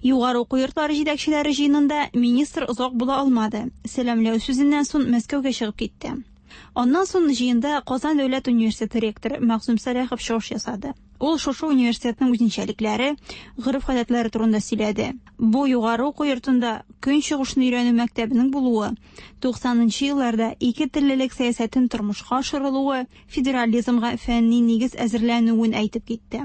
Югары уку йортлары җитәкчеләре җыенында министр озак була алмады. Сәламләү сүзеннән соң Мәскәүгә чыгып китте. Аннан соң җыенда Казан дәүләт университеты ректоры Мәгъсум Сәлахов чыгыш ясады. Ул шушы университетның үзенчәлекләре, гореф-гадәтләре турында сөйләде. Бу югары уку йортында көнчыгышны өйрәнү мәктәбенең булуы, 90нчы елларда ике теллелек сәясәтен тормышка ашырылуы, федерализмга фәнни нигез әзерләнүен әйтеп китте.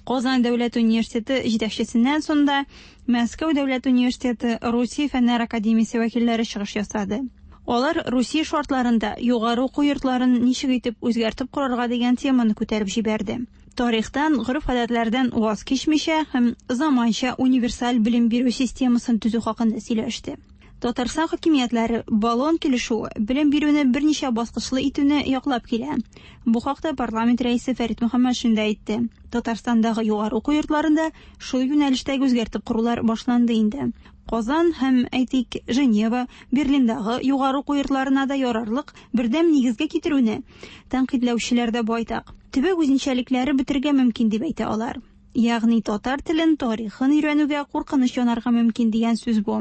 Казан дәүләт университеты җитәкчесеннән соң да Мәскәү дәүләт университеты Русия фәннәр академиясе вәкилләре чыгыш ясады. Алар Русия шартларында югары уку йортларын ничек итеп үзгәртеп корырга дигән теманы күтәреп җибәрде. Тарихтан, гореф-гадәтләрдән ваз кичмичә һәм заманча универсаль белем бирү системасын төзү хакында сөйләште. Татарстан хакимиятләре Болон килешүе белем бирүне берничә баскычлы итүне яклап килә. Бу хакта парламент рәисе Фәрит Мөхәммәтшин дә әйтте. Татарстандагы югары уку йортларында шул юнәлештәге үзгәртеп корулар башланды инде. Казан һәм, әйтик, Женева, Берлиндагы югары уку йортларына да ярарлык бердәм нигезгә китерүне тәнкыйтьләүчеләр дә байтак. Төбәк үзенчәлекләре бетергә мөмкин дип әйтә алар. Ягъни татар телен, тарихын өйрәнүгә куркыныч янарга мөмкин дигән сүз бу.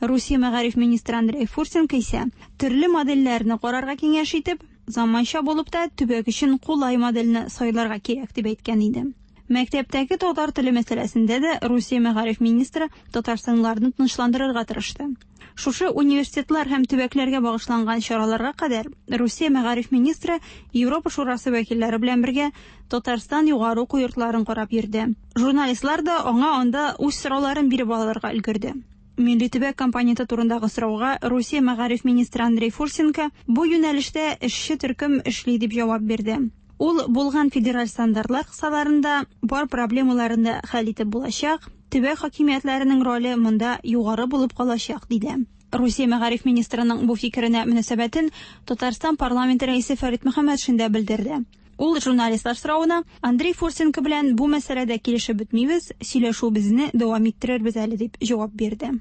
Русия мәгариф министры Андрей Фурсенко исә төрле модельләрне карарга киңәш итеп, заманча булып та төбәк өчен кулай модельне сайларга кирәк дип әйткән иде. Мәктәптәге татар теле мәсьәләсендә дә Русия мәгариф министры татарстанлыларны тынычландырырга тырышты. Шушы университетлар һәм төбәкләргә багышланган чараларга кадәр Русия мәгариф министры Европа Шурасы вәкилләре белән бергә Татарстан югары уку йортларын карап йөрде. Журналистлар да аңа анда үз сорауларын биреп алырга өлгерде. Милли төбәк компоненты турындагы сорауга Русия мәгариф министры Андрей Фурсенко бу юнәлештә эшче төркем эшли дип җавап бирде. Ул булган федераль стандартлар кысаларында бар проблемаларны да хәл итеп булачак, төбәк хакимиятләренең роле монда югары булып калачак, диде. Русия мәгариф министрының бу фикеренә мөнәсәбәтен Татарстан парламенты рәисе Фәрит Мөхәммәтшин дә белдерде. Ул журналистлар соравына Андрей Фурсенко белән бу мәсьәләдә килешеп бетмибез, сөйләшүебезне дәвам иттерербез әле, дип җавап бирде.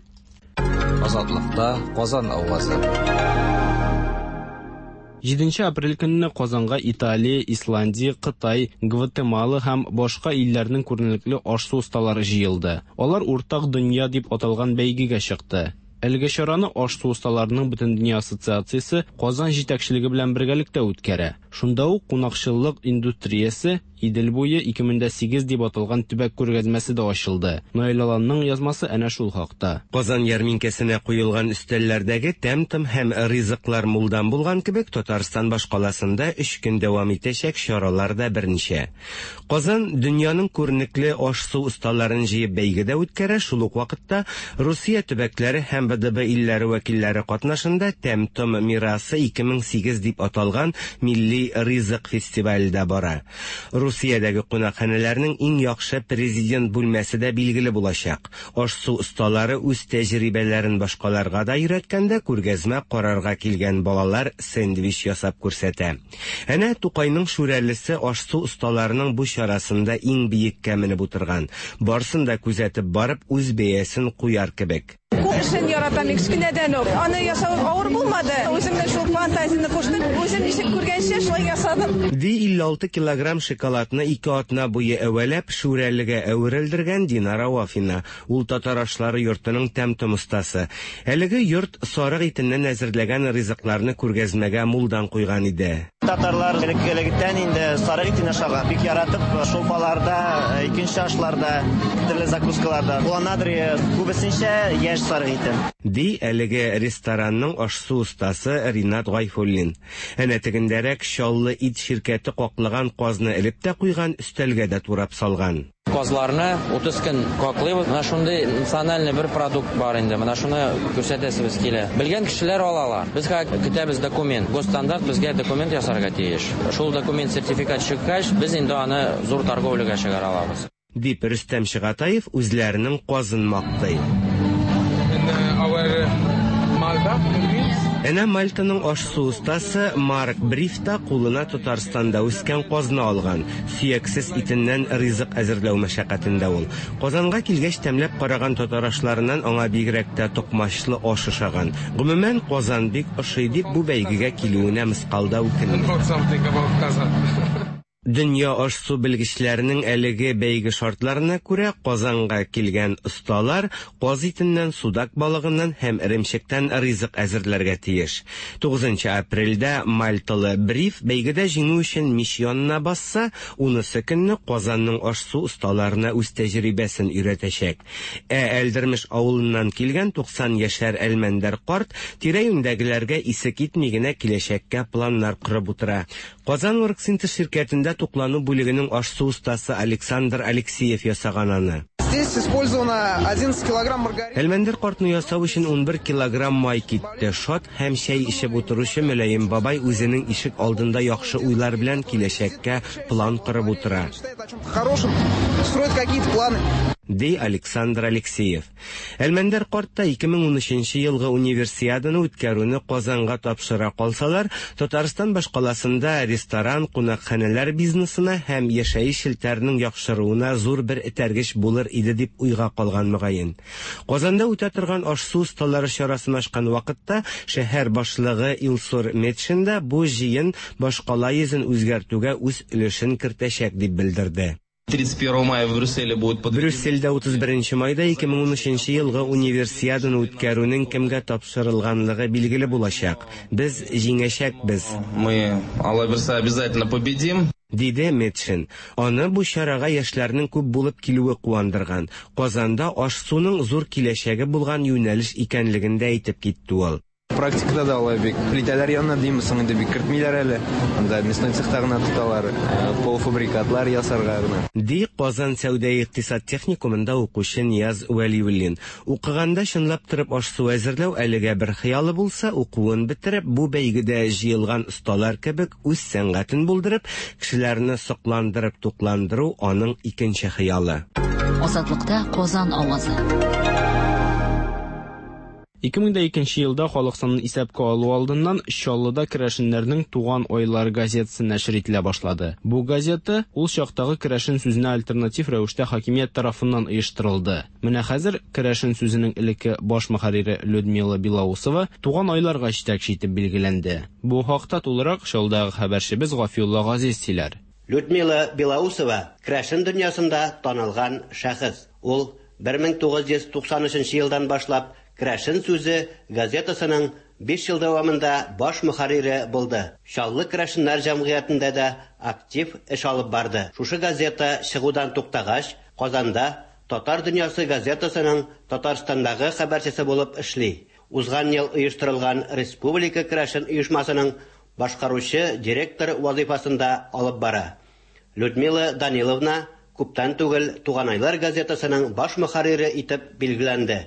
Азатлыкта Казан авазы. 7 апрель көнне Казанга Италия, Исландия, Кытай, Гватемала һәм башка илләрнең күренекле аш-су осталары җыелды. Алар Уртак дөнья дип аталган бәйгегә чыкты. Әлеге чараны аш-су осталарының Бөтендөнья ассоциациясе Казан җитәкчелеге белән бергәлектә үткәрә. Шунда ук кунакчыллык индустриясе Идел буе 2008 дип аталган төбәк күргәзмәсе дә ачылды. Наил Аланның язмасы әнә шул хакта. Казан ярминкәсенә куелган өстәлләрдәге тәм-том һәм ризыклар мулдан булган кебек, Татарстан башкаласында өч көн дәвам итәчәк чаралар да берничә. Казан дөньяның күренекле аш-су осталарын җыеп бәйге дә үткәрә, шул ук вакытта Русия төбәкләре һәм ВДБ илләре вәкилләре катнашында Тәм-том мирасы 2008 дип аталган милли ризык фестивале дә бара. Русиядәге кунакханәләрнең иң яхшы президент бүлмәсе дә билгеле булачак. Аш-су осталары үз тәҗрибәләрен башкаларга да өйрәткәндә күргәзмә карарга килгән балалар сэндвич ясап күрсәтә. Әнә Тукайның Шүрәлесе аш-су осталарының бу чарасында иң биеккә менеп утырган. Барсын да күзәтеп барып, үз бәясен куяр кебек. Кул эшен яратам мин кечкенәдән үк. Аны ясау авыр булмады. Үземнең шул фантазияне куштым. Үзем ничек күргәнчә, шулай ясадым. Ди 56 килограмм шоколадны ике атна буе әвәләп, Шүрәлегә әверелдергән Динара Вафина. Ул татар ашлары йортының тәм-том остасы. Әлеге йорт сарык итеннән әзерләгән ризыкларны күргәзмәгә мулдан куйган иде. Татарлар элек-электән инде сарык итен ашаган. Бик яратып шулпаларда, икенче ашларда, төрле закускаларда кулланадыр, күбесенчә яшь сарык итен. Ди әлеге ресторанның аш-су остасы Ринат Гайфуллин. Әнә тегендәрәк Чаллы ит ширкәте каклаган казны элеп тә куйган, өстәлгә дә турап салган. Казларны 30 көн каклыйбыз. Менә шундый национальный бер продукт бар инде. Менә шуны күрсәтәсебез килә. Белгән кешеләр алалар. Без хәзер көтәбез документ. Госстандарт безгә документ ясарга тиеш. Шул документ сертификат чыккач, без инде аны зур торговляга чыгара алабыз. Дип Рөстәм Чыгатаев үзләренең казын мактый. Әнә Мальтаның аш-су остасы Марк Бриф та кулына Татарстанда үскән казны алган. Сөяксез итеннән ризык әзерләү мәшәкатендә ул. Казанга килгәч тәмләп караган татар ашларыннан аңа бигрәк тә токмачлы аш ошаган. Гомумән, Казан бик ошый дип бу бәйгегә килүенә мыскал да үкенми. Дөнья аш-су белгечләренең әлеге бәйге шартларына күрә, Казанга килгән осталар каз итеннән, судак балыгыннан һәм эремчектән ризык әзерләргә тиеш. 9 апрельдә мальталы Бриф бәйгедә җиңү өчен мич янына басса, унысы көнне Казанның аш-су осталарына үз тәҗрибәсен өйрәтәчәк. Ә Әлдермеш авылыннан килгән 90 яшәр Әлмәндәр карт тирә-юньдәгеләргә исе китми генә киләчәккә планнар корып утыра. Казан Оргсинтез ширкәтендә туклану бүлегенең аш-су остасы Александр Алексеев ясаган аны. Здесь использовано 11 килограмм маргарина. Әлмәндәр картны ясау өчен 11 килограмм май китте. Шат һәм чәй эчеп утыручы мөлаем бабай үзенең ишек алдында яхшы уйлар белән киләчәккә план корып утыра. Мечтает о чем-то хорошем, строит какие-то планы. Ди Александр Алексеев. Әлмәндәр карт та 2013 елгы Универсиаданы үткәрүне Казанга тапшыра калсалар, Татарстан башкаласында ресторан, кунакханәләр бизнесына һәм яшәеш челтәренең яхшыруына зур бер этәргеч булыр иде дип уйга калган мөгаен. Казанда үтә торган аш-су осталары чарасын ачкан вакытта шәһәр башлыгы Илсур Метшин да бу җыен башкала йөзен үзгәртүгә үз өлешен кертәчәк дип белдерде. 31 мая в Брюсселе будет под... Брюссельдә 31 майда 2013 елгы Универсиаданы үткәрүнең кемгә тапшырылганлыгы билгеле булачак. Без җиңәчәкбез. Мы, Алла бирса, обязательно победим. Диде Метшин. Аны бу чарага яшьләрнең күп булып килүе куандырган. Казанда аш-суның зур киләчәге булган юнәлеш икәнлеген дә әйтеп китте ул. Практикада да алай бик плитәләр янына димме соң инде бик кертмиләр әле. Анда мясной цехта гына тоталар, полуфабрикатлар ясарга гына. Ди Казан сәүдә-икътисад техникумында укучы Нияз Вәлиуллин. Укыганда чынлап торып аш-су әзерләү әлегә бер хыялы булса, укуын бетереп, бу бәйгедә җыелган осталар кебек үз сәнгатен булдырып, кешеләрне сокландырып тукландыру аның икенче хыялы. Азатлыкта Казан авазы. 2002 елда халык санын исәпкә алу алдыннан Чаллыда керәшеннәрнең Туган айлар газетасы нәшер ителә башлады. Бу газета ул чактагы керәшен сүзенә альтернатив рәвештә хакимият тарафыннан оештырылды. Менә хәзер керәшен сүзенең элекке баш мөхәррире Людмила Белоусова Туган айларга җитәкче итеп билгеләнде. Бу хакта тулырак Чаллыдагы хәбәрчебез Гафиулла Газиз сөйләр. Людмила Белоусова керәшен дөньясында танылган шәхес. Ул 1993 елдан башлап Керәшен сүзе газетасының биш ел дәвамында баш мөхәррире булды. Чаллы керәшеннәр җәмгыятендә дә актив эш алып барды. Шушы газета чыгудан туктагач, Казанда Татар дөньясы газетасының Татарстандагы хәбәрчесе булып эшли. Узган ел оештырылган Республика керәшен оешмасының башкаручы директор вазыйфасын да алып бара. Людмила Даниловна күптән түгел Туганайлар газетасының баш мөхәррире итеп билгеләнде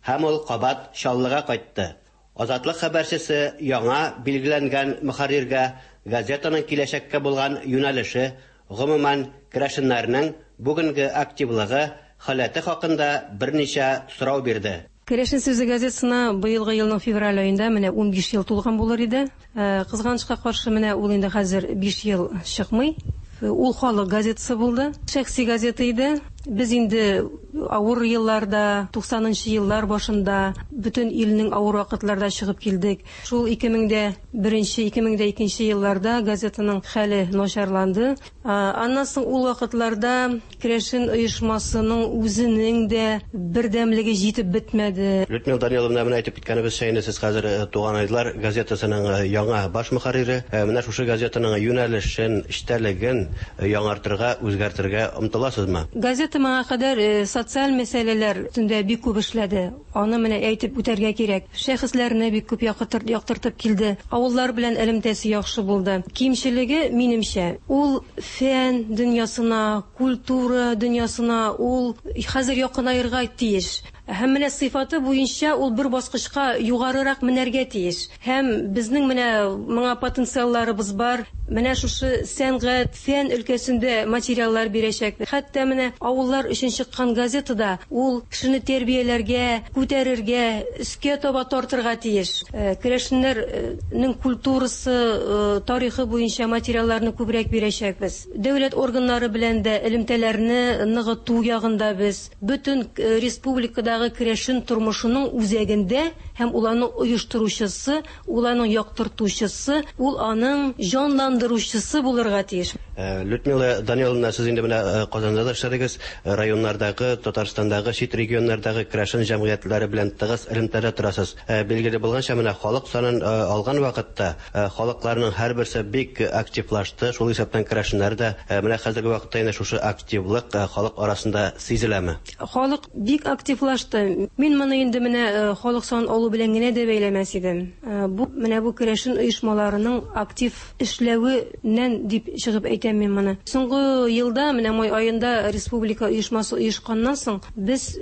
һәм ул кабат Чаллыга кайтты. Азатлык хәбәрчесе яңа билгеләнгән мөхәрриргә газетаның киләчәккә булган юнәлеше, гомумән, керәшеннәрнең бүгенге активлыгы, халәте хакында берничә сорау бирде. Керәшен сүзе газетасына быелгы елның февраль аенда менә 15 ел тулган булыр иде. Кызганычка каршы, менә ул инде хәзер 5 ел чыкмый. Ул халык газетасы булды. Шәхси газета иде. Без инде авыр елларда, 90 нчы еллар башында, бөтен илнең авыр вакытларда чыгып килдек. Шул 2001 нче, 2002 нче елларда газетаның хәле начарланды. Аннан соң ул вакытларда керәшен оешмасының үзенең дә бердәмлеге җитеп бетмәде. Людмила Даниловна, менә әйтеп киткәнебезчә, инде сез хәзер Туганайлар газетасының яңа баш мөхәррире. Менә шушы газетаның юнәлешен, эчтәлеген яңартырга, үзгәртергә омтыласызмы? Газета моңа кадәр социаль мәсьәләләр өстендә бик күп эшләде. Аны менә әйтеп үтәргә кирәк. Шәхесләрне бик күп яктыртып килде. Авыллар белән элемтәсе яхшы булды. Кимчелеге, минемчә, ул фән дөньясына, культура дөньясына ул хәзер якынаерга тиеш. Һәм менә сыйфаты буенча ул бер баскычка югарырак менәргә тиеш. Һәм безнең менә моңа потенциалларыбыз бар. Менә шушы сәнгать, фән өлкәсендә материаллар бирәчәкбез. Хәтта менә авыллар өчен чыккан газета да ул кешене тәрбияләргә, күтәрергә, өскә таба тартырга тиеш. Керәшеннәрнең культурасы, тарихы буенча материалларны күбрәк бирәчәкбез. Дәүләт органнары белән дә элемтәләрне ныгыту ягында без. Бөтен республикадагы керәшен тормышының үзәгендә һәм ул аның оештыручысы, ул аның яктыртучысы, ул аның җанландыручысы булырга тиеш. Людмила Даниловна, сез инде менә Казанда да эшләдегез, районнардагы, Татарстандагы, чит регионнардагы керәшен җәмгыятьләре белән тыгыз элемтәдә торасыз. Билгеле булганча, менә халык санын алган вакытта халыкларның һәрберсе бик активлашты, шул исәптән керәшеннәр дә. Менә хәзерге вакытта инде шушы активлык халык арасында сизеләме? Халык бик активлашты. Активлашты. Мин моны инде менә халык санын алу белән генә дә бәйләмәс идем. Бу менә бу керәшен оешмаларының актив эшләвеннән дип чыгып әйтәм мин моны. Соңгы елда, менә май аенда республика оешмасы оешканнан соң, без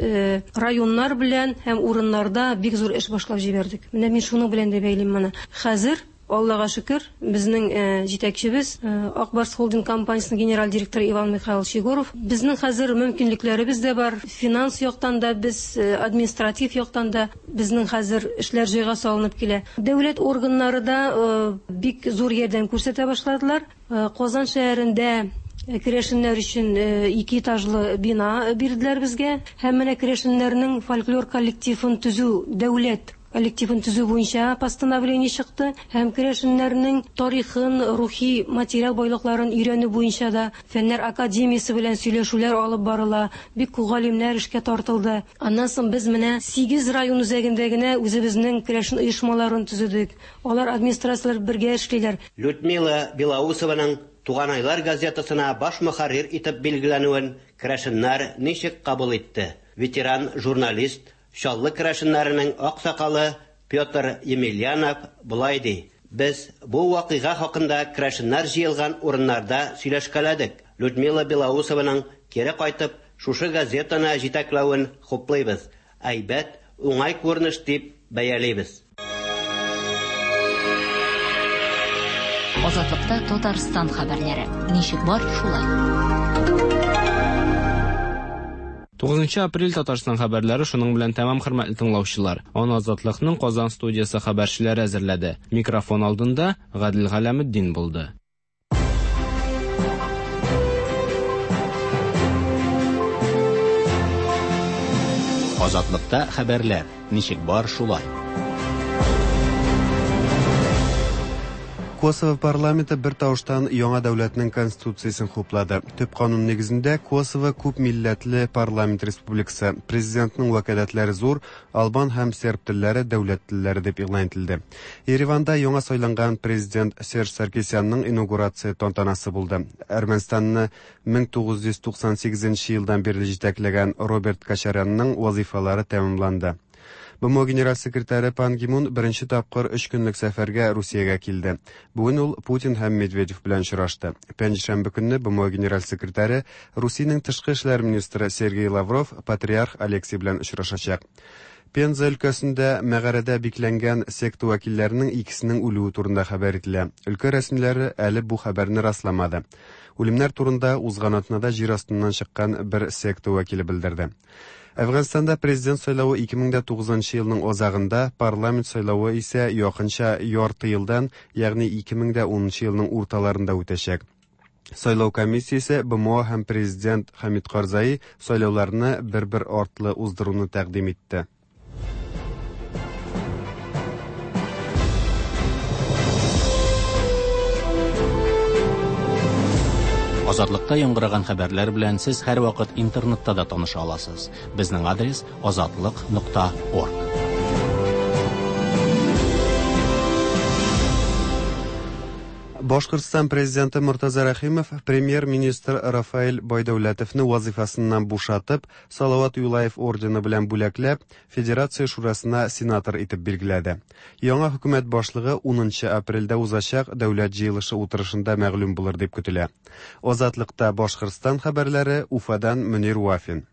районнар белән һәм урыннарда бик зур эш башлап җибәрдек. Менә мин шуның белән дә бәйлим моны. Хәзер, Аллага шөкер, безнең җитәкчебез, Ак Барс Холдинг компаниясенең генераль директоры Иван Михайлович Егоров. Безнең хәзер мөмкинлекләребез дә бар, финанс яктан да без, административ яктан да безнең хәзер эшләр җайга салынып килә. Дәүләт органнары да бик зур ярдәм күрсәтә башладылар. Казан шәһәрендә керәшеннәр өчен ике этажлы бина бирделәр безгә. Һәм менә керәшеннәрнең фольклор коллективын төзү, дәүләт коллективын төзү буенча постановление чыкты. Һәм керәшеннәрнең тарихын, рухи материал байлыкларын өйрәнү буенча да Фәннәр академиясе белән сөйләшүләр алып барыла. Бик күп галимнәр эшкә тартылды. Аннан соң без менә 8 район үзәгендә генә үзебезнең керәшен оешмаларын төзедек. Алар администрацияләр бергә эшлиләр. Людмила Белоусованың Туганайлар газетасына баш мөхәррир итеп билгеләнүен керәшеннәр ничек кабул итте? Ветеран журналист, Чаллы керәшеннәренең аксакалы Петр Емельянов болай ди: Без бу вакыйга хакында керәшеннәр җыелган урыннарда сөйләшкәләдек. Людмила Белоусованың кире кайтып, шушы газетаны җитәкләвен хуплыйбыз. Әйбәт, уңай күренеш дип бәялибез. Азатлыкта Татарстан хәбәрләре. Ничек бар, шулай. 9 апрель Татарстан хәбәрләре шуның белән тәмам, хөрмәтле тыңлаучылар. Аны Азатлыкның Казан студиясе хәбәрчеләре әзерләде. Микрофон алдында Гадел Галәметдин булды. Азатлыкта хәбәрләр. Ничек бар, шулай. Косово парламенты бер тавыштан яңа дәүләтнең конституциясен хуплады. Төп канун нигезендә Косово күп милләтле парламент республикасы. Президентның вәкаләтләре зур, албан һәм серб телләре дәүләт телләре дип игълан ителде. Ереванда яңа сайланган президент Серж Саркисянның инаугурация тантанасы булды. Әрмәнстанны 1998 елдан бирле җитәкләгән Роберт Кочарянның вазифалары тәмамланды. БМО генераль секретаре Пан Ги Мун беренче тапкыр өч көнлек сәфәргә Русиягә килде. Бүген ул Путин һәм Медведев белән очрашты. Пәнҗешәмбе көнне БМО генераль секретаре Русиянең тышкы эшләр министры Сергей Лавров патриарх Алексий белән очрашачак. Пенза өлкәсендә мәгарәдә бикләнгән секта вәкилләренең икесенең үлүе турында хәбәр ителә. Өлкә рәсмиләре әле бу хәбәрне расламады. Үлемнәр турында узган атнада җир астыннан чыккан бер секта вәкиле белдерде. Әфганстанда президент сайлавы 2009 елның азагында, парламент сайлавы исә якынча ярты елдан, ягъни 2010 елның урталарында үтәчәк. Сайлау комиссиясе БМО һәм президент Хамид Карзаи сайлауларны бер-бер артлы уздыруны тәкъдим итте. Азатлыкта яңгыраган хәбәрләр белән сез һәрвакыт интернетта да таныша аласыз. Безнең адрес азатлык.орг. Башкортстан президенты Мортаза Рәхимов премьер-министр Рафаэль Байдәүләтовны вазифасыннан бушатып, Салават Юлаев ордены белән бүләкләп, Федерация Шурасына сенатор итеп билгеләде. Яңа хөкүмәт башлыгы 10 апрельдә узачак дәүләт җыелышы утырышында мәгълүм булыр дип көтелә. Азатлыкта Башкортстан хәбәрләре Уфадан Мөнир Вафин.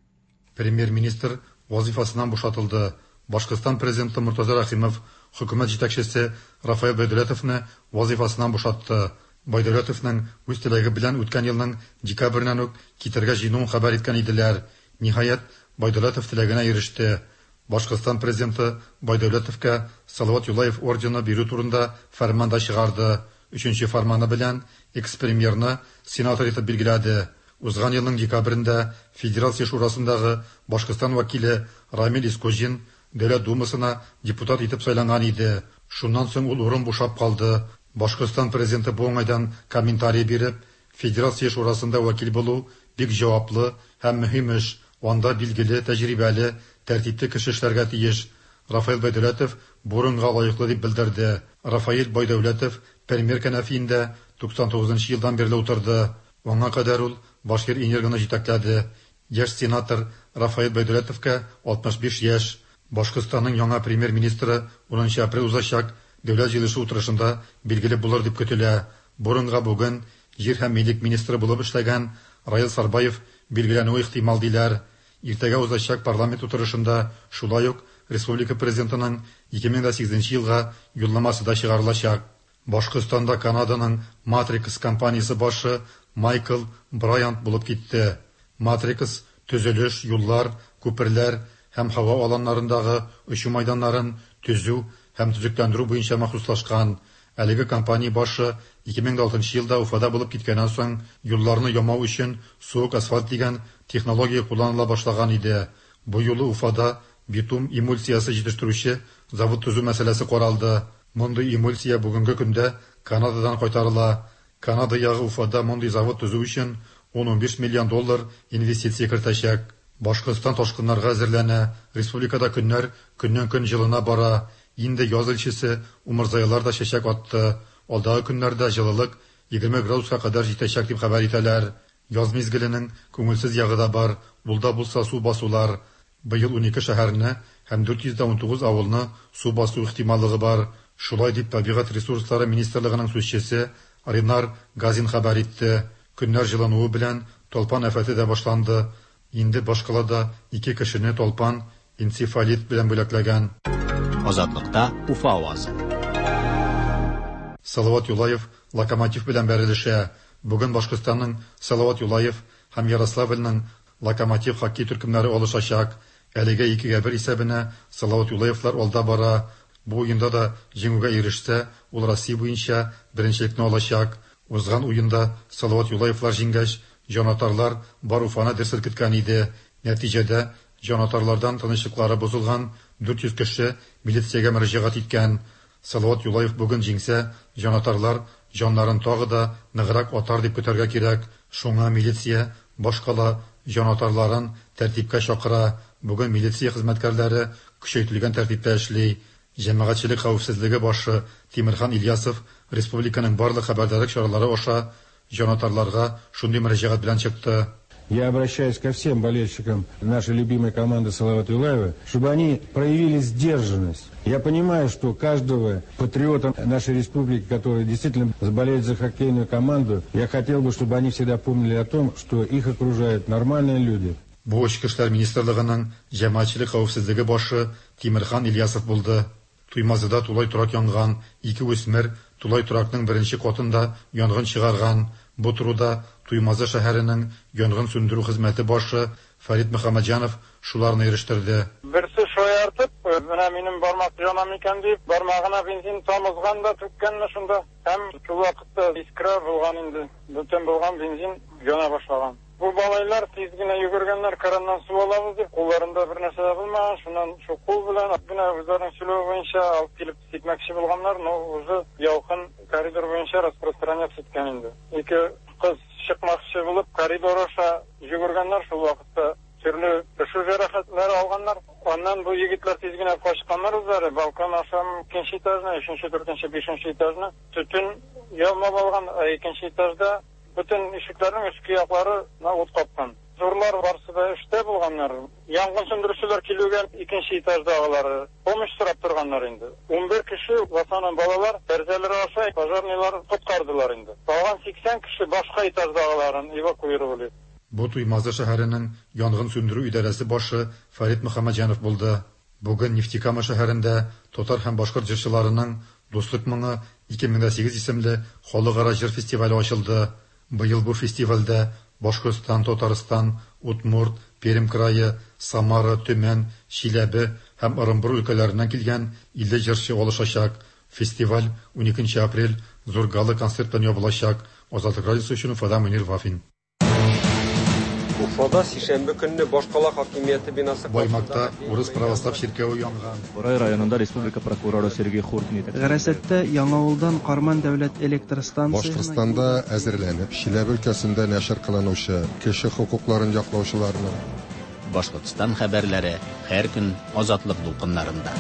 Премьер-министр вазифасыннан бушатылды. Башкортстан президенты Мортаза Рәхимов хөкүмәт җитәкчесе Рафаэль Байдәүләтовны вазифасыннан бушатты. Байдәүләтовның үз теләге белән үткән елның декабреннән үк китәргә җыенуын хәбәр иткән иделәр. Ниһаять, Байдәүләтов теләгенә иреште. Башкортстан президенты Байдәүләтовка Салават Юлаев ордены бирү турында фәрман да чыгарды. Өченче фәрманы белән экс-премьерны сенатор итеп билгеләде. Узган елның декабрендә Федерация Шурасындагы Башкортстан вәкиле Рамил Искуҗин Дәүләт Думасына депутат итеп сайланган иде. Шуннан соң ул урын бушап калды. Башкортстан президенты бу уңайдан комментарий биреп, Федерация Шурасында вәкил булу бик җаваплы һәм мөһим эш. Анда билгеле, тәҗрибәле, тәртипле кеше эшләргә тиеш. Рафаэль Байдәүләтов бу урынга лаеклы дип белдерде. Рафаэль Байдәүләтов премьер кәнәфиендә 99 елдан бирле утырды. Аңа кадәр ул Башкир-Энергоны җитәкләде. Яшь сенатор Рафаэль Байдәүләтовка 65 яшь. Башкортстанның яңа премьер-министры 10 апрель узачак Дәүләт җыелышы утырышында билгеле булыр дип көтелә. Бу урынга бүген җир һәм милек министры булып эшләгән Раил Сарбаев билгеләнүе ихтимал диләр. Иртәгә узачак парламент утырышында шулай ук республика Президентының 2008 елга юлламасы да чыгарылачак. Башкортстанда Канаданың Matrix компаниясе башы Майкл Брайант булып китте. Matrix төзелеш, юллар, күперләр һәм һава аланнарындагы очу майданнарын төзү һәм төзекләндерү буенча махсуслашкан. Әлеге компания башы 2006 елда Уфада булып киткәннән соң юлларны ямау өчен суык асфальт дигән технология кулланыла башлаган иде. Бу юлы Уфада битум эмульсиясе җитештерүче завод төзү мәсьәләсе каралды. Мондый эмульсия бүгенге көндә Канададан кайтарыла. Канада ягы Уфада мондый завод төзү өчен 10-15 миллион доллар инвестиция кертәчәк. Башкортстан ташкыннарга әзерләнә. Республикада көннәр көннән-көн җылына бара. Инде яз илчесе умырзаялар да чәчәк атты. Алдагы көннәрдә җылылык 20 градуска кадәр җитәчәк дип хәбәр итәләр. Яз мизгеленең күңелсез ягы да бар, ул да булса су басулар. Быел 12 шәһәрне һәм 419 авылны су басу ихтималлыгы бар. Шулай дип Табигать ресурслары министрлыгының сүзчесе Ринар Газин хәбәр итте. Көннәр җылынуы белән талпан афәте дә башланды. Инде башкалада ике кешене талпан энцефалит белән бүләкләгән. Азатлыкта Уфа авазы. Салават Юлаев Локомотив белән бәрелешә. Бүген Башкортстанның Салават Юлаев һәм Ярославльның Локомотив хоккей төркемнәре алышачак. Әлегә 2-1 исәбенә Салават Юлаевлар алда бара. Бу уенда да җиңүгә ирешсә, ул Россия буенча беренчелекне алачак. Узган уенда Салават Юлаевлар җиңгәч, җанатарлар бар Уфаны дер селкеткән иде. Нәтиҗәдә, җанатарлардан тынычлыклары бозылган 400 кеше милициягә мөрәҗәгать иткән. Салават Юлаев бүген җиңсә, җанатарлар җаннарын тагы да ныграк атар дип көтәргә кирәк. Шуңа милиция башкала җанатарларын тәртипкә чакыра. Бүген милиция хезмәткәрләре көчәйтелгән тәртиптә эшли. Җәмәгатьчелек хәвефсезлеге башы Тимерхан Ильясов республиканың барлык хәбәрдарлык чаралары аша җанатарларга шундый мөрәҗәгать белән чыкты. Я обращаюсь ко всем болельщикам нашей любимой команды Салавата Юлаева, чтобы они проявили сдержанность. Я понимаю, что каждого патриота нашей республики, который действительно болеет за хоккейную команду, я хотел бы, чтобы они всегда помнили о том, что их окружают нормальные люди. Бу Эчке эшләр министрлыгының җәмәгатьчелек хәвефсезлеге башы Тимерхан Ильясов булды. Туймазыда тулай торак янган, ике үсмер тулай торакның беренче катында янгын чыгарган. Бу турыда Туймазы шәһәренең янгын сүндерү хезмәте башы Фәрит Мөхәммәтҗанов шуларны ирештерде. Берсе шаяртып, менә минем бармак яна микән дип, бармагына бензин тамызган да түккәнме шунда. Һәм шул вакытта искра булган инде. Бөтен булган бензин яна башлаган. Бу малайлар тиз генә йөгергәннәр, краннан су алабыз дип, кулларында бер нәрсә дә булмаган, шуннан шул кул белән генә үзләренең сөйләве буенча алып килеп сипмәкче булганнар, но уже ялкын коридор буенча распространяться иткән инде. Ике кыз чыкмакчы булып коридор аша йөгергәннәр, шул вакытта төрле пешү җәрәхәтләре алганнар. Аннан бу егетләр тиз генә качканнар үзләре, балкон аша икенче этажны, өченче, дүртенче, бишенче этажны төтен ялмап алган, ә икенче этажда бөтен ишекләрнең өске яклары ут капкан. Зурлар барысы да эштә булганнар. Янгын сүндерүчеләр килүгә икенче этаждагылары помощь сорап торганнар инде. 11 кеше, в основном балалар, тәрәзәләр аша пожарныйлар коткардылар инде. Калган 80 кеше башка этаждагыларын эвакуировали. Бу Туймазы шәһәренең янгын сүндерү идарәсе башы Фәрит Мөхәммәтҗанов булды. Бүген Нефтекама шәһәрендә татар һәм башкорт җырчыларының Дуслык моңы 2008 исемле халыкара җыр фестивале ачылды. Быел бу фестивальдә Башкортстан, Татарстан, Удмурт, Пермь крае, Самара, Төмән, Чиләбе һәм Ырынбур өлкәләреннән килгән 50 җырчы алышачак. Фестиваль 12 апрель зур гала-концерт белән ябылачак. Азатлык радиосы өчен Уфада Мөнир Вафин. Уфада сишәмбе көнне башкала хакимияте бинасы Баймакта урыс православ чиркәве янган. Борай районында республика прокуроры Сергей Хуртин итәкчелегендәге Гарасаттә Яңавылдан Карман дәүләт электр станциясенә Башкортстанда әзерләнеп, Чиләбе өлкәсендә нәшер кылынучы кеше хокукларын яклаучыларның, Башкортстан хәбәрләре һәр көн Азатлык дулкыннарында.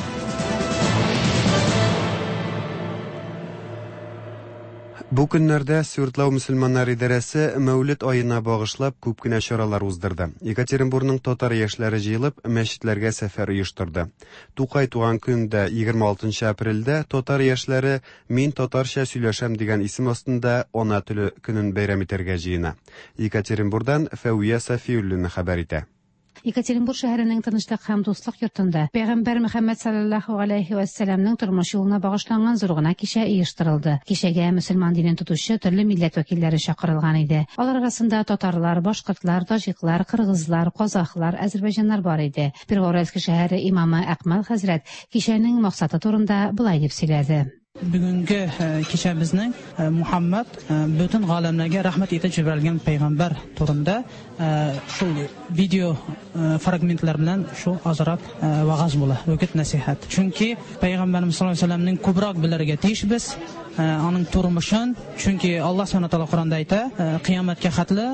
Бу көннәрдә Свердлау мөселманнар идарәсе Мәүлет аена багышлап күп кенә чаралар уздырды. Екатеринбурның татар яшьләре җыелып, мәчетләргә сәфәр оештырды. Тукай туган көндә, 26 апрельдә татар яшьләре Мин татарча сөйләшәм дигән исем астында Ана теле көнен бәйрәм итәргә җыена. Екатеринбурдан Фәвия Сафиуллина хәбәр итә. Екатеринбур шәһәренең Тынычлык һәм дуслык йортында Пәйгамбәр Мөхәммәд салләллаһу галәйһи вәссәламнең тормыш юлына багышланган зур гына кичә оештырылды. Кичәгә мөселман динен тотучы төрле милләт вәкилләре чакырылган иде. Алар арасында татарлар, башкортлар, таҗиклар, кыргызлар, казахлар, әзербайҗаннар бар иде. Первоуральский шәһәре имамы Әкмәл хәзрәт кичәнең максаты турында болай дип сөйләде. Бүгенге кичәбезнең Мухаммад бөтен галәмнәргә рәхмәт итеп җибәрелгән пәйгамбәр турында шул видео фрагментлар белән шул азрак вагаз була, үгет нәсихәт. Чөнки пәйгамбәребез саллаллаһу алейһи вәсәлләмнең күбрәк белергә тиешбез, аның тормышын, чөнки Аллаһ субхана тәгалә Коранда әйтә, кыямәткә хәтле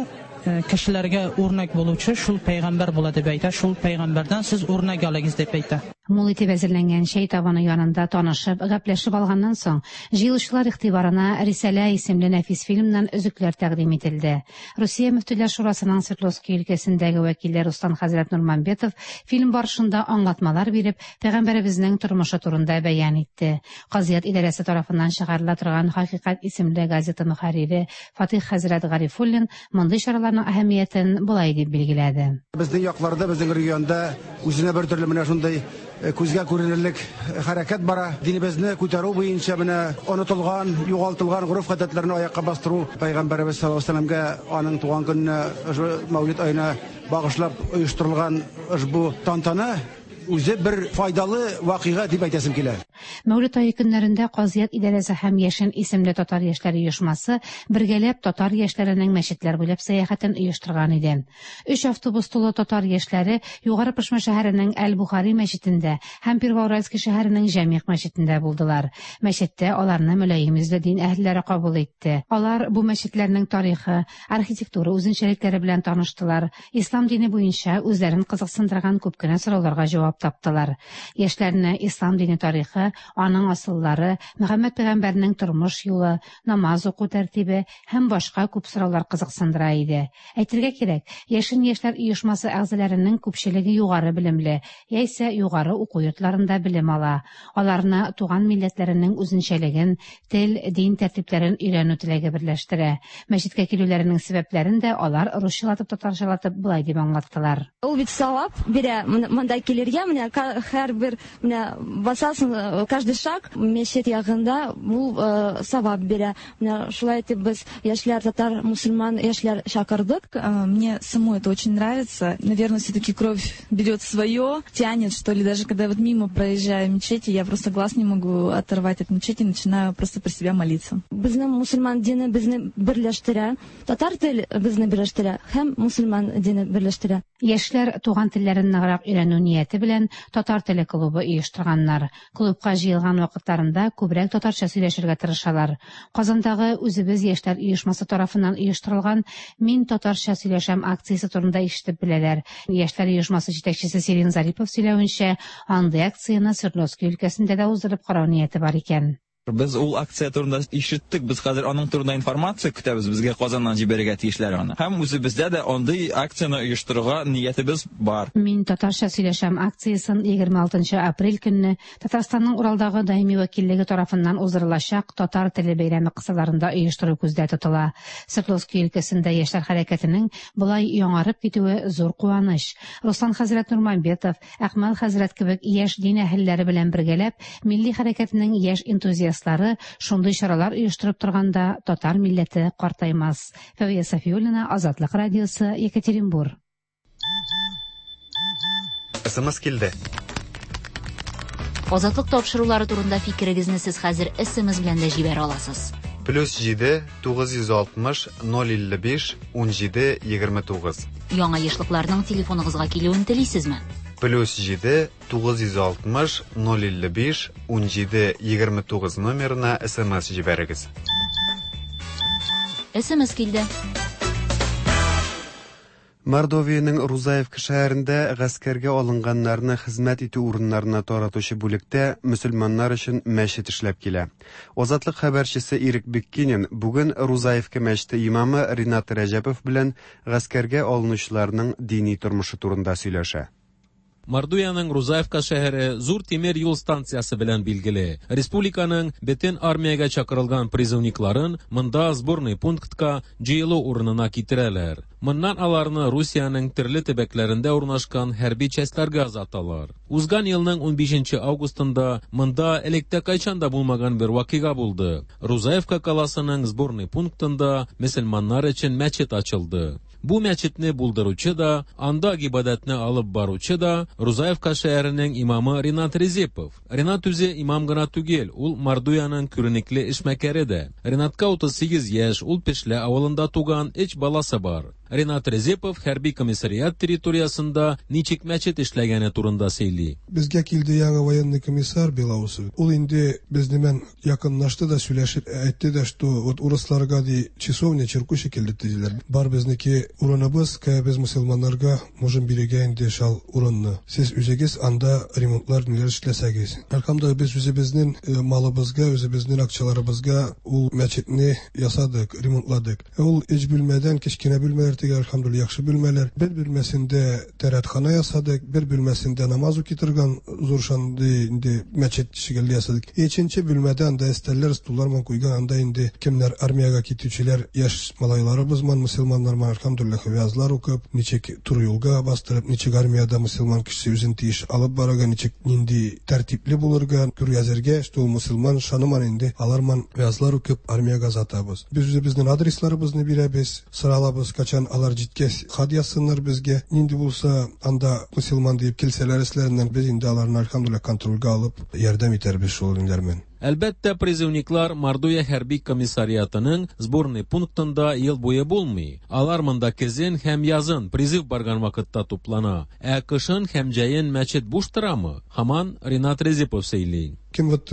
кешеләргә үрнәк булучы шул пәйгамбәр була дип әйтә, шул пәйгамбәрдән сез үрнәк алыгыз дип әйтә. Мул итеп әзерләнгән чәй табыны янында танышып, гәпләшеп алганнан соң, җыелучылар игътибарына Рисалә исемле нәфис фильмнан өзекләр тәкъдим ителде. Русия Мөфтиләр шурасының Свердловски өлкәсендәге вәкиле Руслан хәзрәт Нурмамбетов фильм барышында аңлатмалар биреп, пәйгамбәребезнең тормышы турында бәян итте. Казыят идарәсе тарафыннан чыгарыла торган Хакыйкать исемле газета мөхәррире Фатыйх хәзрәт Гарифуллин мондый чараларның әһәмиятен болай дип билгеләде. Безнең якларда, безнең регионда үзенә бер төрле менә шундый э, күзгә күренерлек хәрәкәт бара. Динебезне күтәрү буенча менә онытылган, югалтылган гореф-гадәтләрне аякка бастыру Пәйгамбәребез саллаллаһу алейһи вәсәлләмгә аның туган көненә, ошбу Мәүлид аена багышлап оештырылган ошбу тантана үзе бер файдалы вакыйга дип әйтәсем килә. Мәүлет ае көннәрендә Казыят идарәсе һәм Яшен исемле татар яшьләре оешмасы бергәләп татар яшьләренең мәчетләр буйлап сәяхәтен оештырган иде. Өч автобус тулы татар яшьләре Югары Пышма шәһәренең Әл-Бухари мәчетендә һәм Первоуральский шәһәренең Җәмигъ мәчетендә булдылар. Мәчеттә аларны мөлаем йөзле дин әһелләре кабул итте. Алар бу мәчетләрнең тарихы, архитектура үзенчәлекләре белән таныштылар, ислам дине буенча үзләрен кызыксындырган күп кенә сорауларга җавап таптылар. Яшьләрне ислам дине тарихы, аның асыллары, Мөхәммәд пәйгамбәрнең тормыш юлы, намаз уку тәртибе һәм башка күп сораулар кызыксындыра иде. Әйтергә кирәк, Яшен яшьләр оешмасы әгъзаләренең күпчелеге югары белемле, яисә югары уку йортларында белем ала. Аларны туган милләтләренең үзенчәлеген, тел, дин тәртипләрен өйрәнү теләге берләштерә. Мәчеткә килүләренең сәбәпләрен дә алар русчалатып-татарчалатып болай дип аңлаттылар. Ул бит савап бирә монда килергә, менә һәрбер менә басасың, каждый шаг мәчет ягында ул савап бирә. Менә шулай итеп без яшьләр, татар, мусульман яшьләр чакырдык. Мне самой это очень нравится. Наверное, все-таки кровь берет свое, тянет, что ли. Даже когда вот мимо проезжаю мечети, я просто глаз не могу оторвать от мечети, начинаю просто про себя молиться. Безнең мусульман дине безне берләштерә, татар тел безне берләштерә һәм мусульман дине берләштерә. Яшьләр туган телләрен ныграк өйрәнү нияте белән татар теле клубы оештырганнар. Клубка җыелган вакытларында күбрәк татарча сөйләшергә тырышалар. Казандагы Үзебез яшьләр оешмасы тарафыннан оештырылган Мин татарча сөйләшәм акциясе турында ишетеп беләләр. Яшьләр оешмасы җитәкчесе Сирин Зарипов сөйләвенчә, андый акцияне Свердловски өлкәсендә дә уздырып карау нияте бар икән. Без ул акция турында ишеттек, без хәзер аның турында информация көтәбез, безгә Казаннан җибәрергә тиешләр аны. Һәм үзебездә дә андый акцияне оештырырга ниятебез бар. Мин татарча сөйләшәм акциясен 26 нчы апрель көнне Татарстанның Уралдагы даими вәкиллеге тарафыннан уздырылачак Татар теле бәйрәме кысаларында оештыру күздә тотыла. Свердловски өлкәсендә яшьләр хәрәкәтенең болай яңарып китүе зур куаныч. Руслан хәзрәт Нурмамбетов, Әкмәл хәзрәт кебек яшь дин әһелләре белән бергәләп, милли хәрәкәтнең яшь энтузиастлары шундый чаралар оештырып торганда татар милләте картаймас. Фәвия Сафиуллина, Азатлык радиосы, Екатеринбур. СМС килде. Азатлык тапшырулары турында фикерегезне сез хәзер СМС белән дә җибәрә аласыз. Плюс 7 960 055 17 29. Яңа ешлыкларның телефоныгызга килүен телисезме? Плюс 7 960 055 17 29 номерына СМС җибәрегез. СМС килде. Мордовиянең Рузаевка шәһәрендә гаскәргә алынганнарны хезмәт итү урыннарына таратучы бүлектә мөселманнар өчен мәчет эшләп килә. Азатлык хәбәрчесе Ирек Биккинин бүген Рузаевка мәчете имамы Ринат Рәҗәпов белән гаскәргә алынучыларның дини тормышы турында сөйләшә. Мордовиянең Рузаевка шәһәре зур тимер юл станциясе белән билгеле. Республиканың бөтен армиягә чакырылган призывникларын монда сборный пунктка җыелу урынына китерәләр. Моннан аларны Русиянең төрле төбәкләрендә урнашкан хәрби частьләргә озаталар. Узган елның 15 августында монда электә кайчан да булмаган бер вакыйга булды. Рузаевка каласының сборный пунктында мөселманнар өчен мәчет ачылды. Бу мәчетне булдыручы да, анда гыйбадәтне алып баручы да Рузаевка шәһәренең имамы Ринат Резепов. Ринат үзе имам гына түгел, ул Мордовиянең күренекле эшмәкәре дә. Ринатка 38 яшь, ул Пешлә авылында туган, өч баласы бар. Ринат Резепов хәрби комиссариат территориясендә ничек мәчет эшләгәне турында сөйли. Безгә килде яңа военный комиссар Белоусов. Ул инде безнең белән якынлашты да сөйләшеп әйтте дә, что вот урысларга ди часовня чиркү шикелле диләр. Бар безнеке урыныбыз, кая без мөселманнарга можем бирергә инде шал урынны. Сез үзегез анда ремонтлар ниләр эшләсәгез. Әлхәмдүлилләһ, без үзебезнең малыбызга, үзебезнең акчаларыбызга ул мәчетне ясадык, ремонтладык. Ул өч бүлмәдән кечкенә бүлмәләр түгел, әлхәмдүлилләһ, яхшы бүлмәләр. Бер бүлмәсендә тәрәтхана ясадык, бер бүлмәсендә намаз укый торган зур шундый инде мәчет шикелле ясадык. Өченче бүлмәдә анда өстәлләр, стуллар ман куйган, анда инде кемнәр армиягә китүчеләр, яшь малайларыбыз ман, мөселманнар ман, әлхәмдүлилләһ, вәгазьләр укып, ничек туры юлга бастырып, ничек армиядә мөселман кешесе үзен тиеш алып барырга, ничек нинди тәртипле булырга, күргәзергә, что ул мөселман шаныман инде, алар ман вәгазьләр укып, армиягә озатабыз. Без үзебезнең адресларыбызны бирәбез, соралабыз, качан алар җиткәч хат язсыннар безгә. Нинди булса анда мөселман диеп килсәләр эшләреннән, без инде аларны әлхәмдүлилләһ контрольгә алып, ярдәм итәрбез шул ниләр белән. Әлбәттә, призывниклар Мордовия хәрби комиссариатының сборный пунктында ел буе булмый. Алар монда көзен һәм язын призыв барган вакытта туплана. Ә кышын һәм җәен мәчет буш торамы? Һаман Ринат Резепов сөйли. Кем вот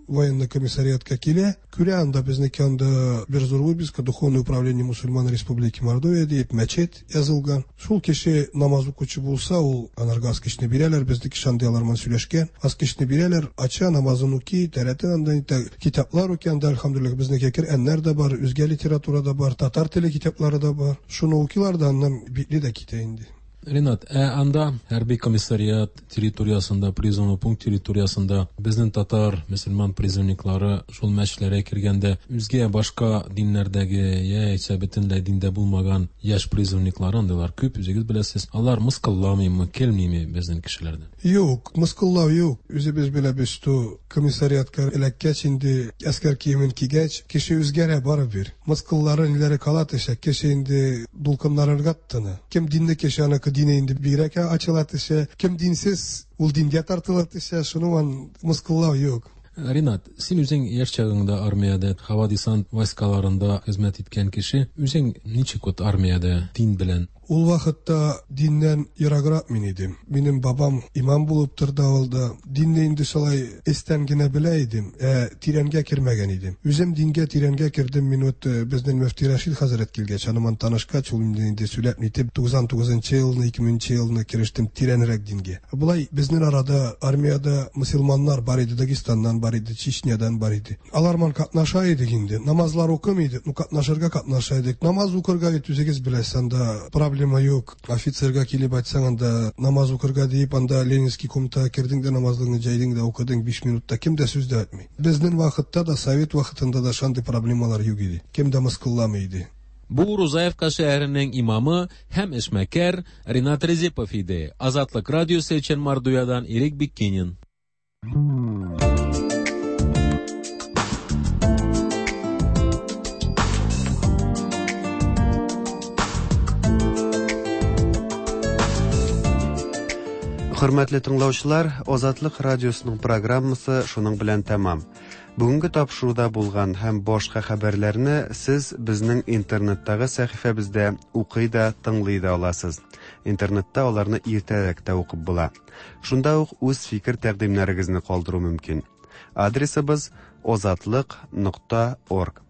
военный комиссариатка килә, күрә анда безнеке анда бер зур вывеска Духовное управление мусульман Республики Мордовия диеп мәчет язылган. Шул кеше намаз укучы булса, ул анарга аскычны бирәләр, безнеке шундый алар белән сөйләшкән. Аскычны бирәләр, ача, намазын укый, тәрәтен анда итә, китаплар укый анда, әлхәмдүлилләһ, безнеке Коръәннәр дә бар, үзгә литература да бар, татар теле китаплары да бар. Шуны укыйлар да, аннан битле дә китә инде. Ринат, ә анда хәрби комиссариат территориясендә, призывный пункт территориясендә безнең татар, мөселман призывниклары шул мәчетләргә кергәндә үзгә башка диннәрдәге яисә бөтенләй диндә булмаган яшь призывниклары андыйлар күп, үзегез беләсез. Алар мыскылламыймы, килмиме безнең кешеләрдән? Юк, мыскыллау юк. Үзебез беләбез, что комиссариатка эләккәч инде әскәр киемен кигәч, кеше үзгәрә барыбер. Мыскыллары ниләре кала төшә, кеше инде дулкынланырга тотына. Кем динле кеше, аныкы дине инде бигрәк ачыла төшә. Кем динсез, ул дингә тартыла төшә. Шуның мыскыллау юк. Ринат, син үзең яшь чагыңда армиядә, һава десант войскаларында хезмәт иткән кеше, үзең ничек вот армиядә дин белән? Ул вакытта диннән ераграк мин идем. Минем бабам имам булып торды авылда. Динне инде шулай эстән генә белә идем, ә тирәнгә кермәгән идем. Үзем дингә тирәнгә кердем, мин вот безнең мөфти Рәшид хәзрәт килгәч, аның танышкач, ул инде сөйләп нитеп, 99 елны, 2000 елны керештем тирәнрәк дингә. Болай безнең арада армиядә мөселманнар бар иде, Дагестаннан бар иде, Чечнядан бар иде. Алар ман катнаша идек инде. Намазлар укымый идек, ну катнашырга катнаша идек. Намаз укырга бит үзегез беләсез, анда проблема юк. Офицерга килеп әйтсәң, анда намаз укырга диеп, анда Ленинский комнатага кердең дә намазлыгыңны җәйдең дә укыдың 5 минутта, кем дә сүз дә әйтми. Безнең вакытта да, совет вакытында да шундый проблемалар юк иде. Кем дә мыскылламый иде. Бу Рузаевка шәһәренең имамы һәм эшмәкәр Ринат Резепов иде. Азатлык радиосы өчен Мордовиядан Ирек Биккинин. Хөрмәтле тыңлаучылар, Азатлык радиосының программасы шуның белән тәмам. Бүгенге тапшыруда булган һәм башка хәбәрләрне сез безнең интернеттагы сәхифәбездә укый да, тыңлый да аласыз. Интернетта аларны иртәрәк тә укып була. Шунда ук үз фикер тәкъдимнәрегезне калдыру мөмкин. Адресыбыз озатлык.орг.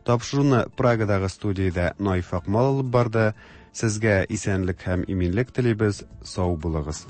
Тапшыруны Прагадагы студиядә Наиф Акмал алып барды. Сезгә исәнлек һәм иминлек телибез, сау булыгыз.